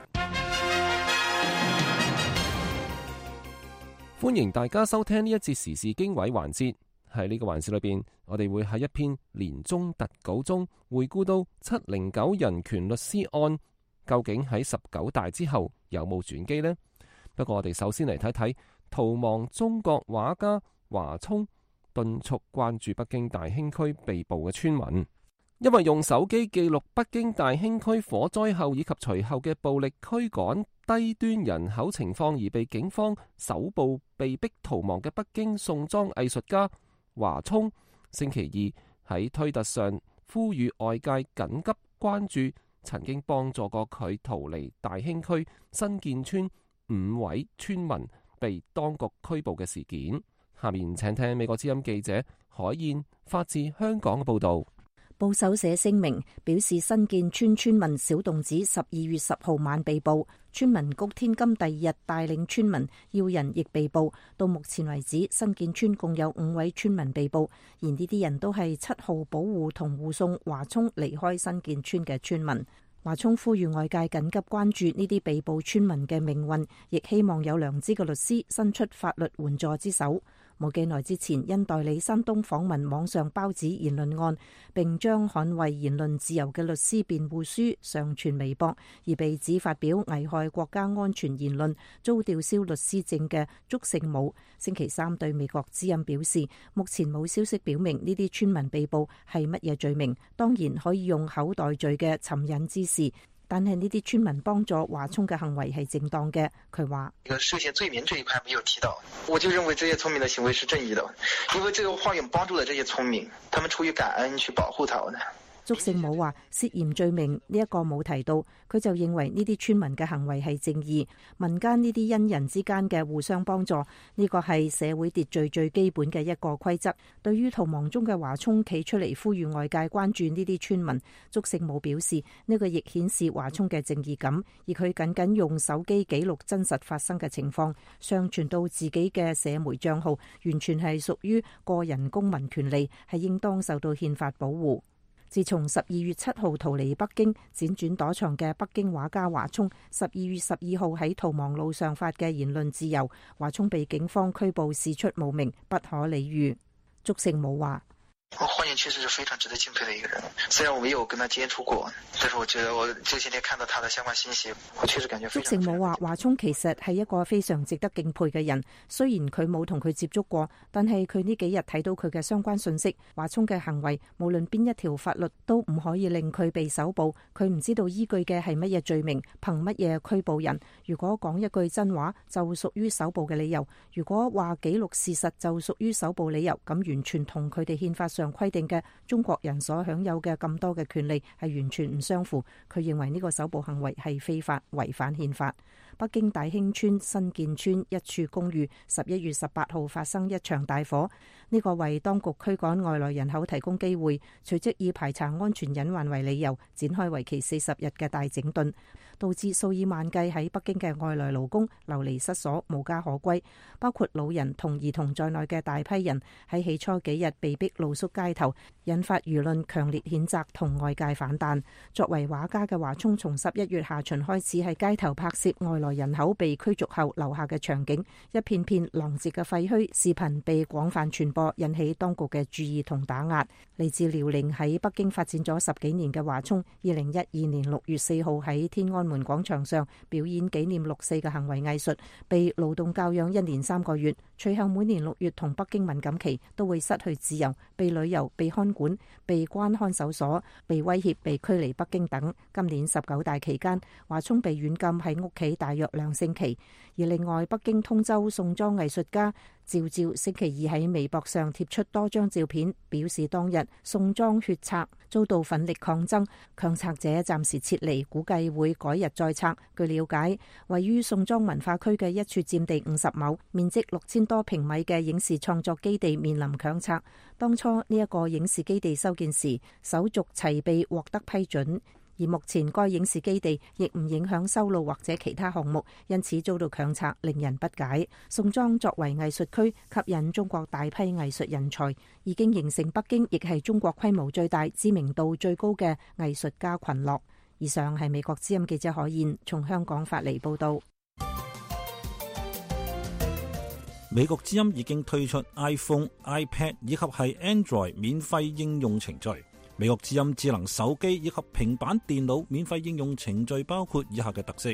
歡迎大家收聽呢一節時事經緯環節。喺呢個環節裏邊，我哋會喺一篇年終特稿中回顧到709人權律師案，究竟喺19大之後有冇轉機呢？不過我哋首先嚟睇睇逃亡中國畫家華聰敦促關注北京大興區被捕嘅村民。因為用手機記錄北京大興區火災後以及隨後嘅暴力驅趕低端人口情況而被警方搜捕被逼逃亡嘅北京宋莊藝術家華聰，星期二喺推特上呼籲外界緊急關注曾經幫助過佢逃離大興區新建村5位村民被當局拘捕嘅事件。下面請聽美國之音記者海燕發自香港嘅報道。報手社聲明表示，新建村村民小洞子12月10號晚被捕，村民谷天金第2日帶領村民要人亦被捕。到目前為止，新建村共有5位村民被捕，而呢啲人都係7號保護同護送華聰離開新建村嘅村民。華聰呼籲外界緊急關注呢啲被捕村民嘅命運，亦希望有良知嘅律師伸出法律援助之手。冇幾耐之前，因代理山東訪問網上包子言論案，並將捍衛言論自由嘅律師辯護書上傳微博，而被指發表危害國家安全言論，遭吊銷律師證嘅祝聖武，星期三對美國之音表示，目前冇消息表明呢啲村民被捕係乜嘢罪名，當然可以用口袋罪嘅尋釁滋事。但係呢啲村民幫助華聰嘅行為係正當嘅，佢話：涉嫌罪名這一塊沒有提到，我就認為這些村民的行為是正義的，因為這個花園幫助了這些村民，他們出於感恩去保護他們。祝聖武話涉嫌罪名呢一個冇提到，佢就認為呢啲村民嘅行為係正義，民間呢啲恩人之間嘅互相幫助，呢個係社會秩序最基本嘅一個規則。對於逃亡中嘅華聰企出嚟呼籲外界關注呢啲村民，祝聖武表示呢個亦顯示華聰嘅正義感，而佢僅僅用手機記錄真實發生嘅情況，上傳到自己嘅社媒賬號，完全係屬於個人公民權利，係應當受到憲法保護。自從12月7號逃離北京，輾轉躲藏嘅北京畫家華聰12月12號喺逃亡路上發嘅言論自由，華聰被警方拘捕事出無名，不可理喻。祝聖武話：華聰確實是非常值得敬佩的一個人，雖然我沒有跟他接觸過，但是我覺得我這些天看到他的相關信息，我確實感覺非常。祝聖武話：華聰其實係一個非常值得敬佩嘅人，雖然佢冇同佢接觸過，但係佢呢幾日睇到佢嘅相關信息，華聰嘅行為無論邊一條法律都唔可以令佢被搜捕，佢唔知道依據嘅係乜嘢罪名，憑乜嘢拘捕人。如果講一句真話就屬於搜捕嘅理由，如果話記錄事實就屬於搜捕理由，咁完全同佢哋憲法上規定嘅中國人所享有嘅咁多嘅權利係完全唔相符。佢認為呢個搜捕行為係非法，違反憲法。北京大興村新建村一處公寓11月18號發生一場大火，呢個為當局驅趕外來人口提供機會，隨即以排查安全隱患為理由，展開為期40日嘅大整頓，導致數以萬計喺北京嘅外來勞工流離失所、無家可歸，包括老人同兒童在內嘅大批人喺起初幾日被逼露宿街頭，引發輿論強烈譴責同外界反彈。作為畫家嘅華聰從11月下旬開始喺街頭拍攝外來人口被驅逐後留下嘅場景，一片片狼藉嘅廢墟視頻被廣泛傳播，引起當局嘅注意同打壓。嚟自遼寧喺北京發展咗10幾年嘅華聰，2012年6月4號喺天安門廣場上表演紀念6·4嘅行為藝術，被勞動教養1年3個月，隨後每年6月同北京敏感期都會失去自由，被旅遊、被看管、被關看守所、被威脅、被驅離北京等。今年19大期間，華聰被軟禁喺屋企大約2星期。而另外，北京通州宋莊藝術家趙照星期二喺微博上貼出多張照片，表示當日宋莊血拆遭到奮力抗爭，強拆者暫時撤離，估計會改日再拆。據了解，位於宋莊文化區嘅一處佔地50畝、面積6000多平米嘅影視創作基地面臨強拆。當初呢一個影視基地修建時，手續齊備獲得批准。而目前該影視基地亦唔影響修路或者其他項目，因此遭到強拆，令人不解。宋莊作為藝術區，吸引中國大批藝術人才，已經形成北京亦係中國規模最大、知名度最高嘅藝術家群落。以上係美國之音記者海燕從香港發嚟報道。美國之音已經推出 iPhone、iPad 以及係 Android 免費應用程序。美國之音智能手機以及平板電腦免費應用程序包括以下嘅特色：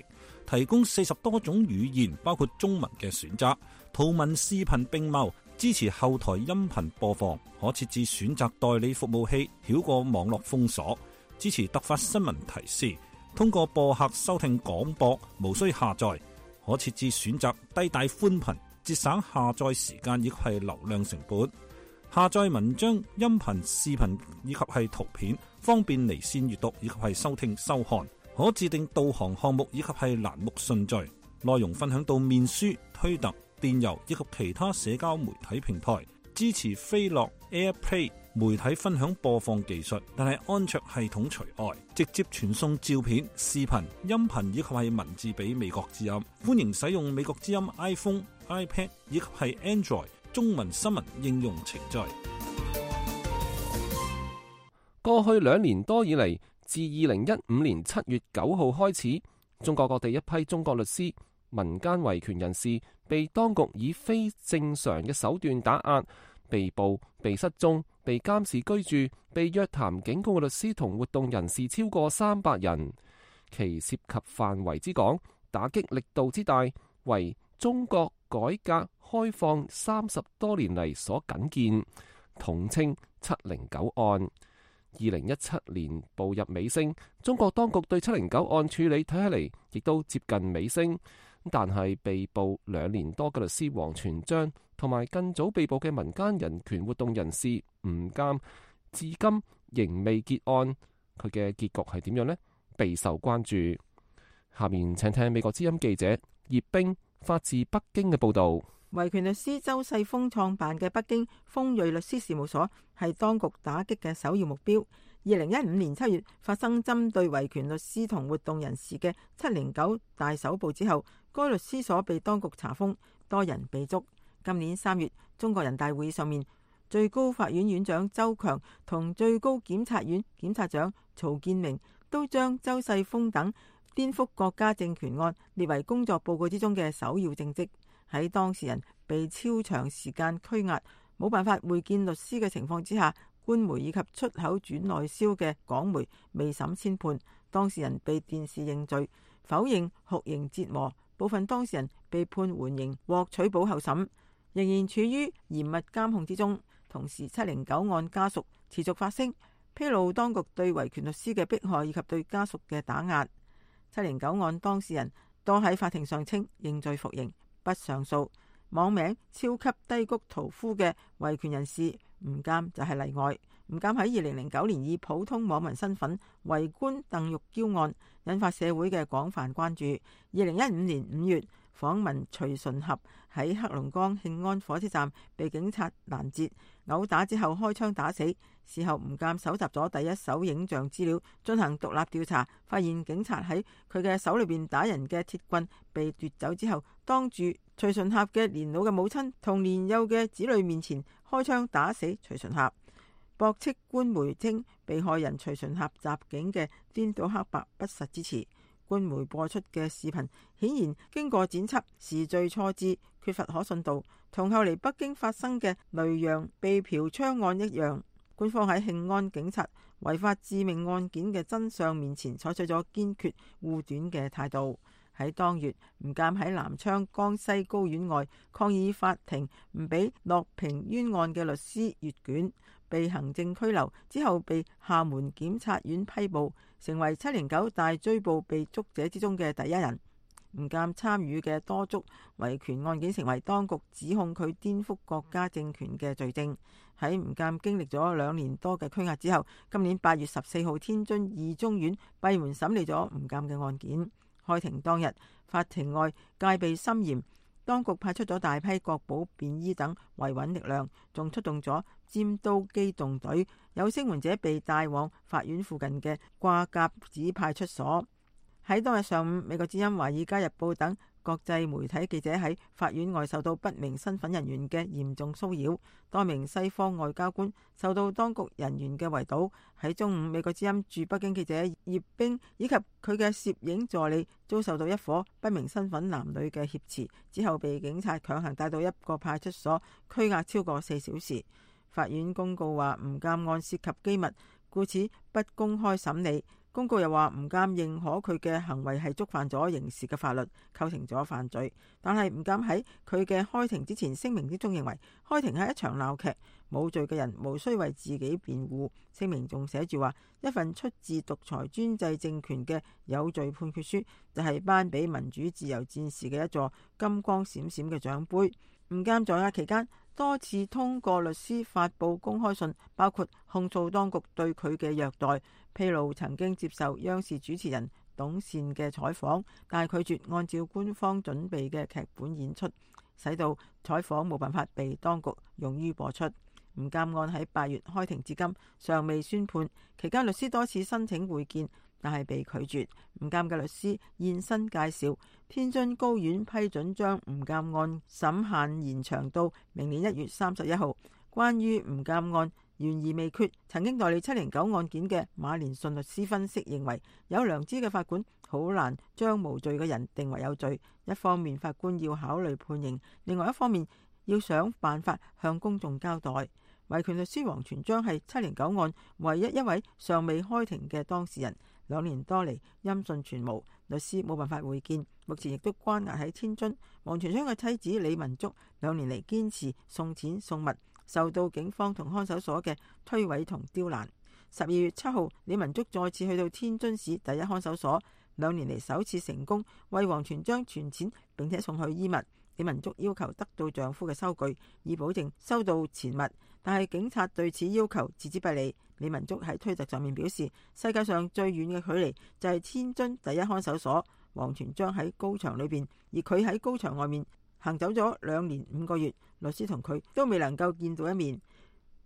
提供40多種語言，包括中文嘅選擇，圖文視頻並茂，支持後台音頻播放，可設置選擇代理服務器，繞過網絡封鎖，支持突發新聞提示，通過播客收聽廣播，無需下載，可設置選擇低帶寬頻，節省下載時間以及係流量成本。下載文章、音頻、視頻以及係圖片，方便離線閱讀以及係收聽收看。可自定導航項目以及係欄目順序。內容分享到面書、推特、電郵以及其他社交媒體平台。支持飛樂 AirPlay 媒體分享播放技術，但係安卓系統除外。直接傳送照片、視頻、音頻以及係文字俾美國之音。歡迎使用美國之音 iPhone、iPad 以及係 Android中文新聞應用程序。過去2年多以嚟，自2015年7月9號開始，中國各地一批中國律師、民間維權人士被當局以非正常嘅手段打壓、被捕、被失蹤、被監視居住、被約談警告嘅律師同活動人士超過300人，其涉及範圍之廣、打擊力度之大，為中國改革開放30多年嚟所僅見，統稱709案。2017年步入尾聲，中國當局對709案處理睇起嚟亦都接近尾聲，但係被捕2年多嘅律師王全璋同埋更早被捕嘅民間人權活動人士吳鑑，至今仍未結案。佢嘅結局係點樣呢？備受關注。下面請聽美國之音記者葉冰發自北京嘅報道。維權律師周世峰創辦嘅北京鋒銳律師事務所係當局打擊嘅首要目標。2015年7月發生針對維權律師同活動人士嘅709大搜捕之後，該律師所被當局查封，多人被捉。今年3月，中國人大會議上面，最高法院院長周強同最高檢察院檢察長曹建明都將周世峰等顛覆國家政權案列為工作報告之中嘅首要政績。喺當事人被超長時間拘押、冇辦法會見律師嘅情況之下，官媒以及出口轉內銷嘅港媒未審先判，當事人被電視認罪，否認酷刑折磨，部分當事人被判緩刑獲取保候審，仍然處於嚴密監控之中。同時709案家屬持續發聲，披露當局對維權律師嘅迫害以及對家屬嘅打壓。709案當事人多喺法庭上稱認罪服刑，不上訴。網名超級低谷屠夫嘅維權人士吳鑑就係例外。吳鑑喺2009年以普通網民身份圍觀鄧玉嬌案，引發社會嘅廣泛關注。2015年5月，訪問徐純合喺黑龍江慶安火車站被警察攔截，毆打之後開槍打死。事後吳鑑搜集咗第一手影像資料，進行獨立調查，發現警察喺佢嘅手裏邊打人嘅鐵棍被奪走之後，當住徐純合嘅年老嘅母親同年幼嘅子女面前開槍打死徐純合。駁斥官媒稱被害人徐純合襲警嘅顛倒黑白不實之詞。官媒播出嘅視頻顯然經過剪輯，時序錯置，缺乏可信度，同後嚟北京發生嘅雷洋被嫖娼案一樣。官方喺慶安警察違法致命案件嘅真相面前採取咗堅決護短嘅態度。喺當月，吳鑑喺南昌江西高院外抗議法庭唔俾樂平冤案嘅律師閱卷，被行政拘留，之後被廈門檢察院批捕，成為709大追捕被捉者之中嘅第一人。吳鑑參與嘅多宗維權案件成為當局指控佢顛覆國家政權嘅罪證。喺吳鑑經歷咗2年多嘅拘押之後，今年8月14號，天津二中院閉門審理咗吳鑑嘅案件。開庭當日，法庭外戒備森嚴，當局派出咗大批國保、便衣等維穩力量，仲出動咗尖刀機動隊，有聲援者被帶往法院附近嘅掛甲子派出所。喺當日上午，美國之音、華爾街日報等國際媒體記者喺法院外受到不明身份人員嘅嚴重騷擾，多名西方外交官受到當局人員嘅圍堵。喺中午，美國之音駐北京記者葉冰以及佢嘅攝影助理遭受到一伙不明身份男女嘅挾持，之後被警察強行帶到一個派出所拘押超過4小時。法院公告話，吳鑑案涉及機密，故此不公開審理。公告又話，吳鑑認可佢嘅行為係觸犯咗刑事嘅法律，構成咗犯罪。但係吳鑑喺佢嘅開庭之前聲明之中認為，開庭係一場鬧劇，冇罪嘅人無需為自己辯護。聲明仲寫住話，一份出自獨裁專制政權嘅有罪判決書，就係頒俾民主自由戰士嘅一座金光閃閃嘅獎杯。吳鑑在押期間多次通過律師發布公開信，包括控訴當局對佢嘅虐待，披露曾經接受央視主持人董倩嘅採訪，但係拒絕按照官方準備嘅劇本演出，使到採訪冇辦法被當局用於播出。吳鑑案喺8月開庭至今尚未宣判，期間律師多次申請會見，但係被拒絕。吳鑑嘅律師現身介紹，天津高院批准將吳鑑案審限延長到明年1月31號。關於吳鑑案懸而未決，曾經代理709案件嘅馬連順律師分析認為，有良知嘅法官好難將無罪嘅人定為有罪。一方面法官要考慮判刑，另外一方面要想辦法向公眾交代。維權律師王全璋係709案唯一一位尚未開庭嘅當事人，2年多嚟音訊全無，律師冇辦法會見，目前亦都關押喺天津。王全璋嘅妻子李文竹2年嚟堅持送錢送物，受到警方同看守所嘅推諉同刁難。12月7號，李文竹再次去到天津市第一看守所，2年嚟首次成功為王全璋存錢並且送去衣物。李文竹要求得到丈夫嘅收據，以保證收到錢物，但係警察對此要求置之不理。李文竹喺推特上面表示，世界上最遠嘅距離就係天津第一看守所，王全璋喺高牆裏邊，而佢喺高牆外面行走咗2年5個月，律師同佢都未能夠見到一面。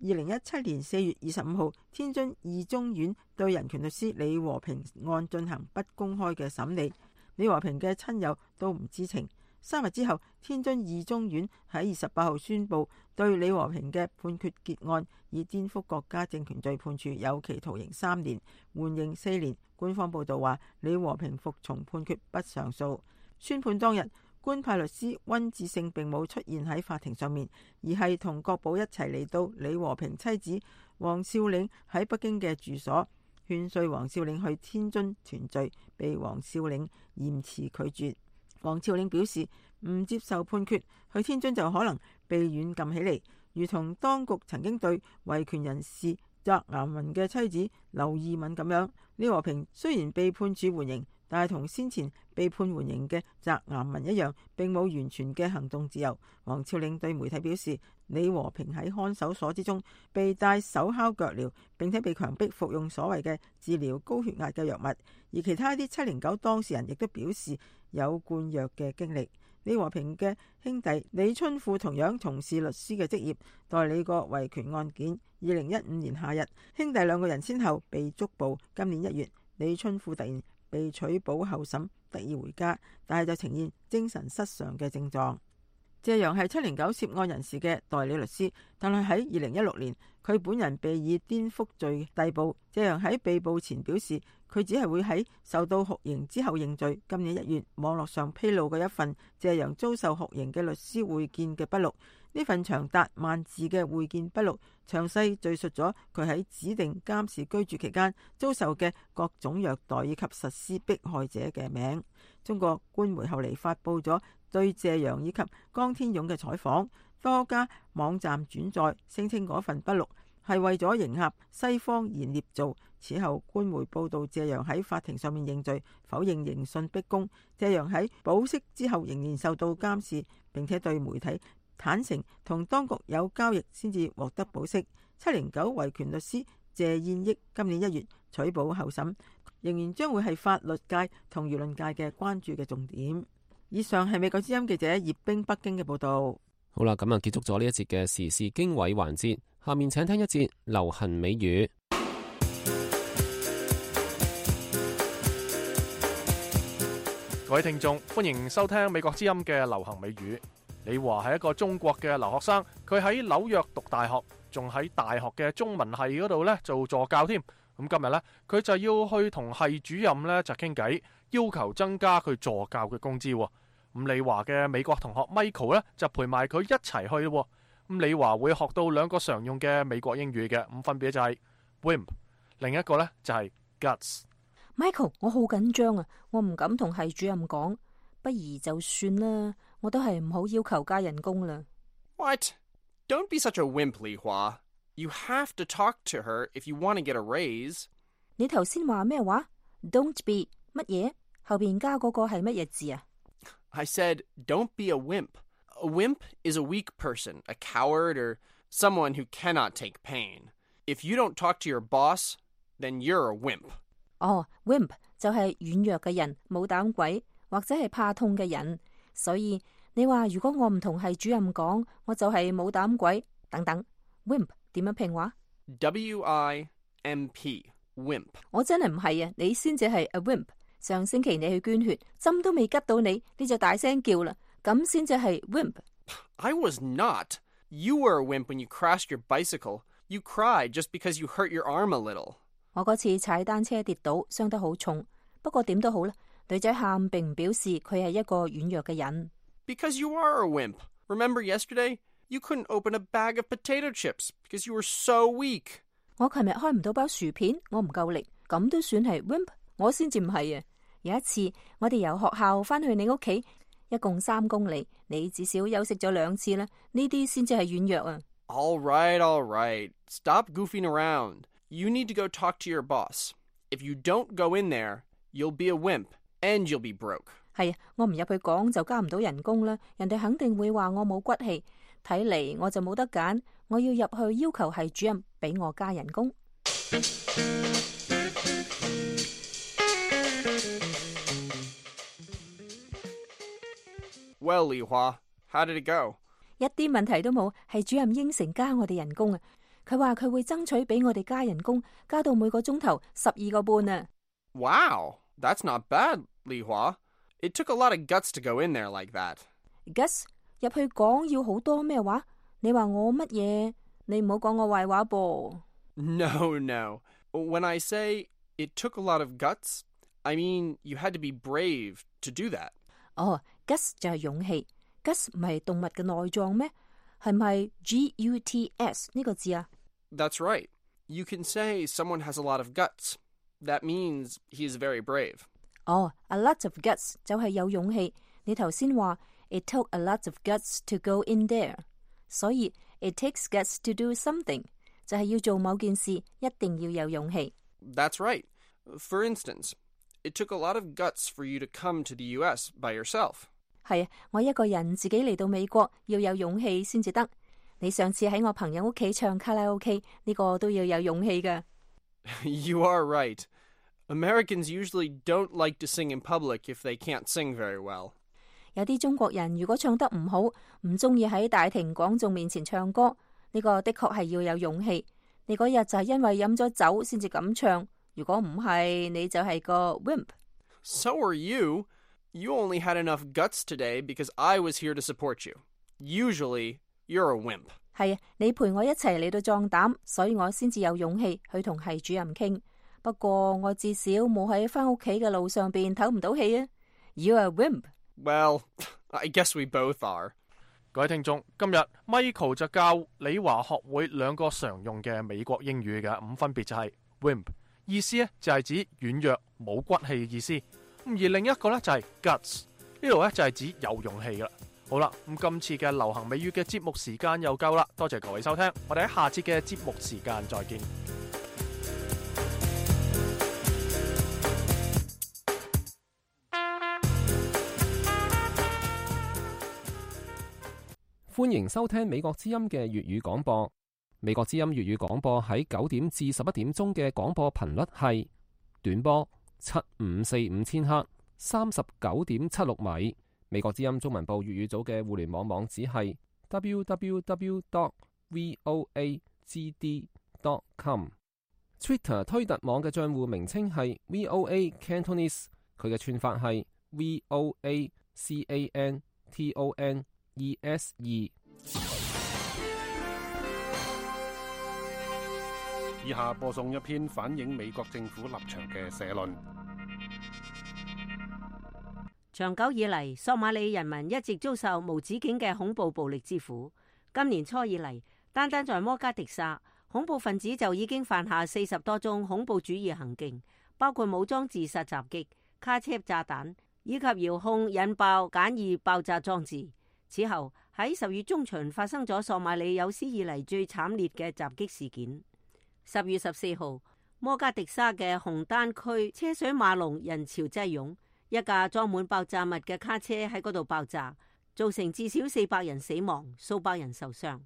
2017年4月25號，天津二中院對人權律師李和平案進行不公開嘅審理，李和平嘅親友都唔知情。3日之後，天津二中院喺28號宣布對李和平嘅判決結案，以顛覆國家政權罪判處有期徒刑3年，緩刑4年。官方報道話，李和平服從判決，不上訴。宣判當日，官派律師溫志勝並冇出現喺法庭上面，而係同國保一齊嚟到李和平妻子王峭嶺喺北京嘅住所，勸說王峭嶺去天津團聚，被王峭嶺嚴詞拒絕。王峭嶺表示唔接受判決，去天津就可能被軟禁起嚟，如同當局曾經對維權人士翟岩民嘅妻子劉義敏咁樣。李和平雖然被判處緩刑，但係同先前被判緩刑嘅翟岩民一樣，並冇完全嘅行動自由。王峭嶺對媒體表示，李和平喺看守所之中被戴手銬腳鐐，並且被強迫服用所謂嘅治療高血壓嘅藥物。而其他一啲709當事人亦都表示有灌藥嘅經歷。李和平嘅兄弟李春富同樣從事律師嘅職業，代理過維權案件。2015年夏日，兄弟兩個人先後被捉捕。今年1月，李春富突然被取保候審，得以回家，但係就呈現精神失常嘅症狀。謝陽係709涉案人士嘅代理律師，但係喺2016年，佢本人被以顛覆罪逮捕。謝陽喺被捕前表示，佢只係會喺受到酷刑之後認罪。今年1月，網絡上披露嘅一份謝陽遭受酷刑嘅律師會見嘅筆錄，呢份長達萬字嘅會見筆錄，詳細敘述咗佢喺指定監視居住期間遭受嘅各種虐待以及實施迫害者嘅名。中國官媒後嚟發佈咗對謝陽以及江天勇嘅採訪，多家網站轉載，聲稱嗰份筆錄係為咗迎合西方言捏造。此後官媒報道謝陽喺法庭上面認罪，否認刑訊逼供。謝陽喺保釋之後仍然受到監視，並且對媒體坦承同當局有交易先至獲得保釋。709維權律師謝燕益今年1月取保候審，仍然將會係法律界同輿論界嘅關注嘅重點。以上係美國之音記者葉冰北京嘅報道。好啦，咁啊結束咗呢一節嘅時事經緯環節，下面請聽一節流行美語。各位聽眾，歡迎收聽美國之音嘅流行美語。李華係一個中國嘅留學生，佢喺紐約讀大學，仲喺大學嘅中文系嗰度呢做助教添。咁今日呢，佢就要去同系主任呢就傾偈，要求增加佢助教嘅工資。咁李華嘅美國同學 Michael 呢就陪埋佢一齊去咯。咁李華會學到2個常用嘅美國英語嘅，咁分別就係 wimp， 另一個呢就係 guts。Michael， 我好緊張啊，我唔敢同系主任講，不如就算啦，我都係唔好要求加人工啦。What? Don't be such a wimp, 李華。You have to talk to her if you want to get a raise. 你頭先話咩話 ？Don't be 乜嘢？後邊加嗰個係乜嘢字啊？ I said, don't be a wimp. A wimp is a weak person, a coward, or someone who cannot take pain. If you don't talk to your boss, then you're a wimp. 哦 ，wimp 就係軟弱嘅人，冇膽鬼或者係怕痛嘅人。所以你話如果我唔同系主任講，我就係冇膽鬼等等。wimp 點樣拼話 ？WIMP wimp。我真係唔係啊，你先至係 a wimp。上星期你去捐血，針都未拮到你，你就大聲叫啦，咁先至係 wimp。I was not. You were a wimp when you crashed your bicycle. You cried just because you hurt your arm a little. 我嗰次踩單車跌倒，傷得好重。不過點都好啦，女仔喊並唔表示佢係一個軟弱嘅人。Because you are a wimp. Remember yesterday? You couldn't open a bag of potato chips because you were so weak. 我琴日開唔到包薯片，我唔夠力，咁都算係 wimp？ 我先至唔係啊！有一次我哋由學校翻去你屋企，一共3公里，你至少休息咗2次啦，呢啲先至係軟弱啊。All right. Stop goofing around. You need to go talk to your boss. If you don't go in there, you'll be a wimp and you'll be broke. 係啊，我唔入去講就加唔到人工啦，人哋肯定會話我冇骨氣。睇嚟我就冇得揀，我要入去要求系主任俾我加人工。Well, 李華, how did it go? 一啲問題都冇，系主任應承加我哋人工啊！佢話佢會爭取俾我哋加人工，加到每個鐘頭12個半啊！ Wow, that's not bad, 李華. It took a lot of guts to go in there like that. Guts 入去講要好多咩話？你話我乜嘢？你唔好講我壞話噃。No. When I say it took a lot of guts, I mean you had to be brave to do that. 哦 ，guts 就係勇氣。guts 唔係動物嘅內臟咩？係咪 guts 呢個字啊？ That's right. You can say someone has a lot of guts. That means he is very brave. 哦 ，a lot of guts 就係有勇氣。你頭先話 it took a lot of guts to go in there， 所以 it takes guts to do something 就係要做某件事，一定要有勇氣。That's right. For instance, it took a lot of guts for you to come to the US by yourself. 係啊，我一個人自己嚟到美國要有勇氣先至得。你上次喺我朋友屋企唱卡拉 OK， 呢個都要有勇氣㗎。You are right. Americans usually don't like to sing in public if they can't sing very well. 有啲中國人如果唱得唔好，唔中意喺大庭廣眾面前唱歌，呢個的確係要有勇氣。你嗰日就係因為飲咗酒先至咁唱，如果唔係，你就係個 wimp。 So are you. You only had enough guts today because I was here to support you. Usually, you're a wimp. 係啊，你陪我一齊嚟到壯膽，所以我先至有勇氣去同系主任傾。不過我至少冇喺返屋企嘅路上邊唞唔到氣啊。You're a wimp. Well, I guess we both are. 各位聽眾，今日 Michael 就教理華學會兩個常用嘅美國英語嘅，咁分別就係 wimp， 意思咧就係指軟弱冇骨氣嘅意思。而另一個咧就係 guts， 呢度咧就係指有勇氣噶啦。好啦，咁今次嘅流行美語嘅節目時間又夠啦，多謝各位收聽，我哋喺下次嘅節目時間再見。歡迎收聽美國之音嘅粵語廣播。美國之音粵語廣播喺9點至11點鐘嘅廣播頻率係短波7545千赫39.76米。美國之音中文部粵語組嘅互聯網網址係 www.voagd.com。Twitter 推特網嘅賬戶名稱係 VOA Cantonese， 佢嘅串法係 VOACANTONESE。以下播送一篇反映美國政府立場嘅社論。長久以嚟，索馬里人民一直遭受無止境嘅恐怖暴力之苦。今年初以嚟，單單在摩加迪沙，恐怖分子就已經犯下40多宗恐怖主義行徑，包括武裝自殺襲擊、卡車炸彈以及遙控引爆簡易爆炸裝置。此後喺10月中旬發生咗索馬里有史以嚟最慘烈嘅襲擊事件。10月14號，摩加迪沙嘅紅丹區車水馬龍，人潮擠擁，一架裝滿爆炸物嘅卡車喺嗰度爆炸，造成至少400人死亡，數百人受傷。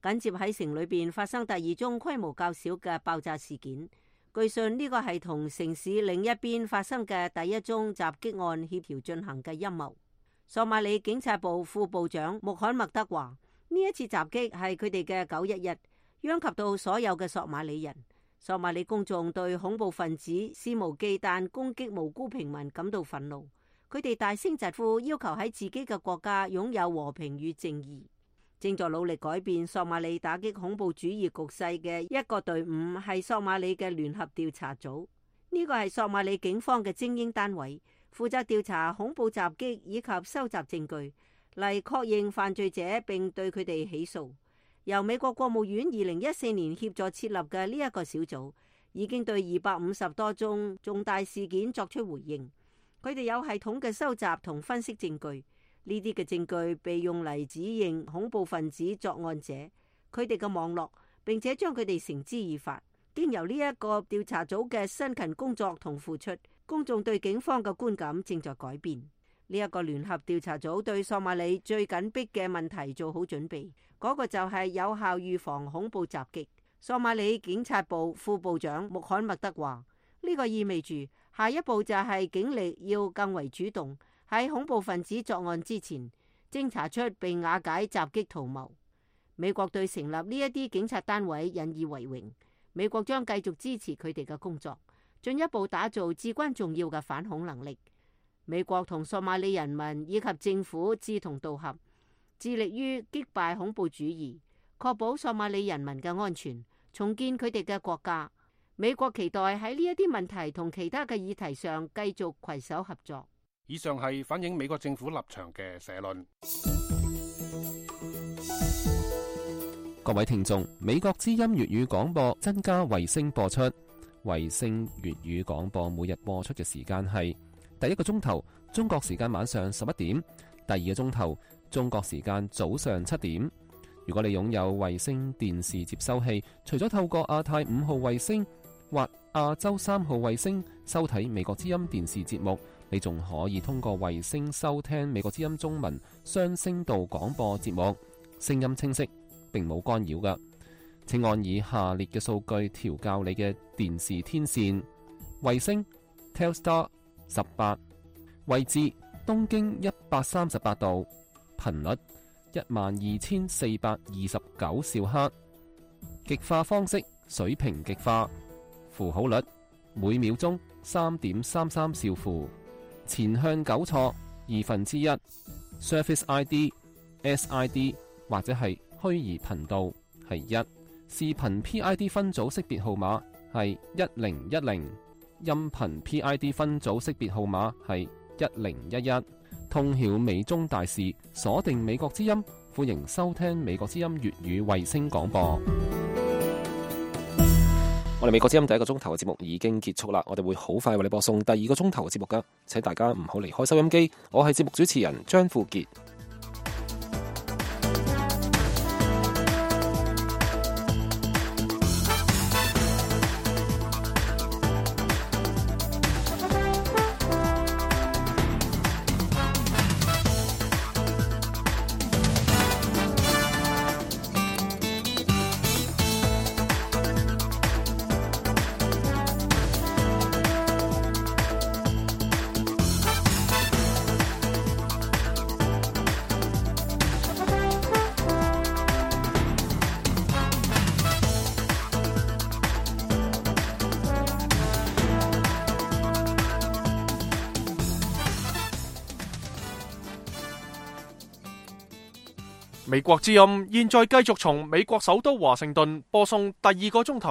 緊接喺城裏邊發生第2宗規模較小嘅爆炸事件，據信呢個係同城市另一邊發生嘅第1宗襲擊案協調進行嘅陰謀。索馬里警察部副部長穆罕默德話：呢一次襲擊係佢哋嘅911，殃及到所有嘅索馬里人。索馬里公眾對恐怖分子肆無忌憚攻擊無辜平民感到憤怒，佢哋大聲疾呼，要求喺自己嘅國家擁有和平與正義。正在努力改變索馬里打擊恐怖主義局勢嘅一個隊伍係索馬里嘅聯合調查組，呢個係索馬里警方嘅精英單位，負責調查恐怖襲擊以及收集證據嚟確認犯罪者並對佢哋起訴。由美國國務院2014年協助設立嘅呢一個小組已經對250多宗重大事件作出回應，佢哋有系統嘅收集同分析證據，呢啲嘅證據被用嚟指認恐怖分子作案者佢哋嘅網絡，並且將佢哋繩之以法。經由呢一個調查組嘅辛勤工作同付出，公眾對警方嘅觀感正在改變。呢一個聯合調查組對索馬里最緊迫嘅問題做好準備，嗰個就係有效預防恐怖襲擊。索馬里警察部副部長穆罕默德話：呢個意味住下一步就係警力要更為主動，喺恐怖分子作案之前偵查出並瓦解襲擊圖謀。美國對成立呢一啲警察單位引以為榮，美國將繼續支持佢哋嘅工作，進一步打造至關重要嘅反恐能力。美國同索馬里人民以及政府志同道合，致力於擊敗恐怖主義，確保索馬里人民嘅安全，重建佢哋嘅國家。美國期待喺呢一啲問題同其他嘅議題上繼續攜手合作。以上係反映美國政府立場嘅社論。各位聽眾，美國之音粵語廣播增加衛星播出，衛星粵語廣播每日播出嘅時間係第1個鐘頭中國時間晚上11點，第2個鐘頭中國時間早上7點。如果你擁有衛星電視接收器，除咗透過亞太5號衛星或亞洲3號衛星收睇美國之音電視節目，你仲可以通過衛星收聽美國之音中文雙聲道廣播節目，聲音清晰，並冇干擾㗎。請按以下列嘅數據調校你嘅電視天線：衛星 Telstar 18，位置東經138度，頻率12429兆赫，極化方式水平極化，符號率每秒鐘3.33兆符，前向糾錯1/2， Surface ID、SID 或者係虛擬頻道係1，視頻 PID 分組識別號碼係1010，音頻 PID 分組識別號碼係1011。通曉美中大事，鎖定美國之音，歡迎收聽美國之音粵語衛星廣播。我哋美國之音第一個鐘頭嘅節目已經結束啦，我哋會好快為你播送第二個鐘頭嘅節目噶，請大家唔好離開收音機。我係節目主持人張富傑。美國之音現在繼續從美國首都華盛頓播送第二個鐘頭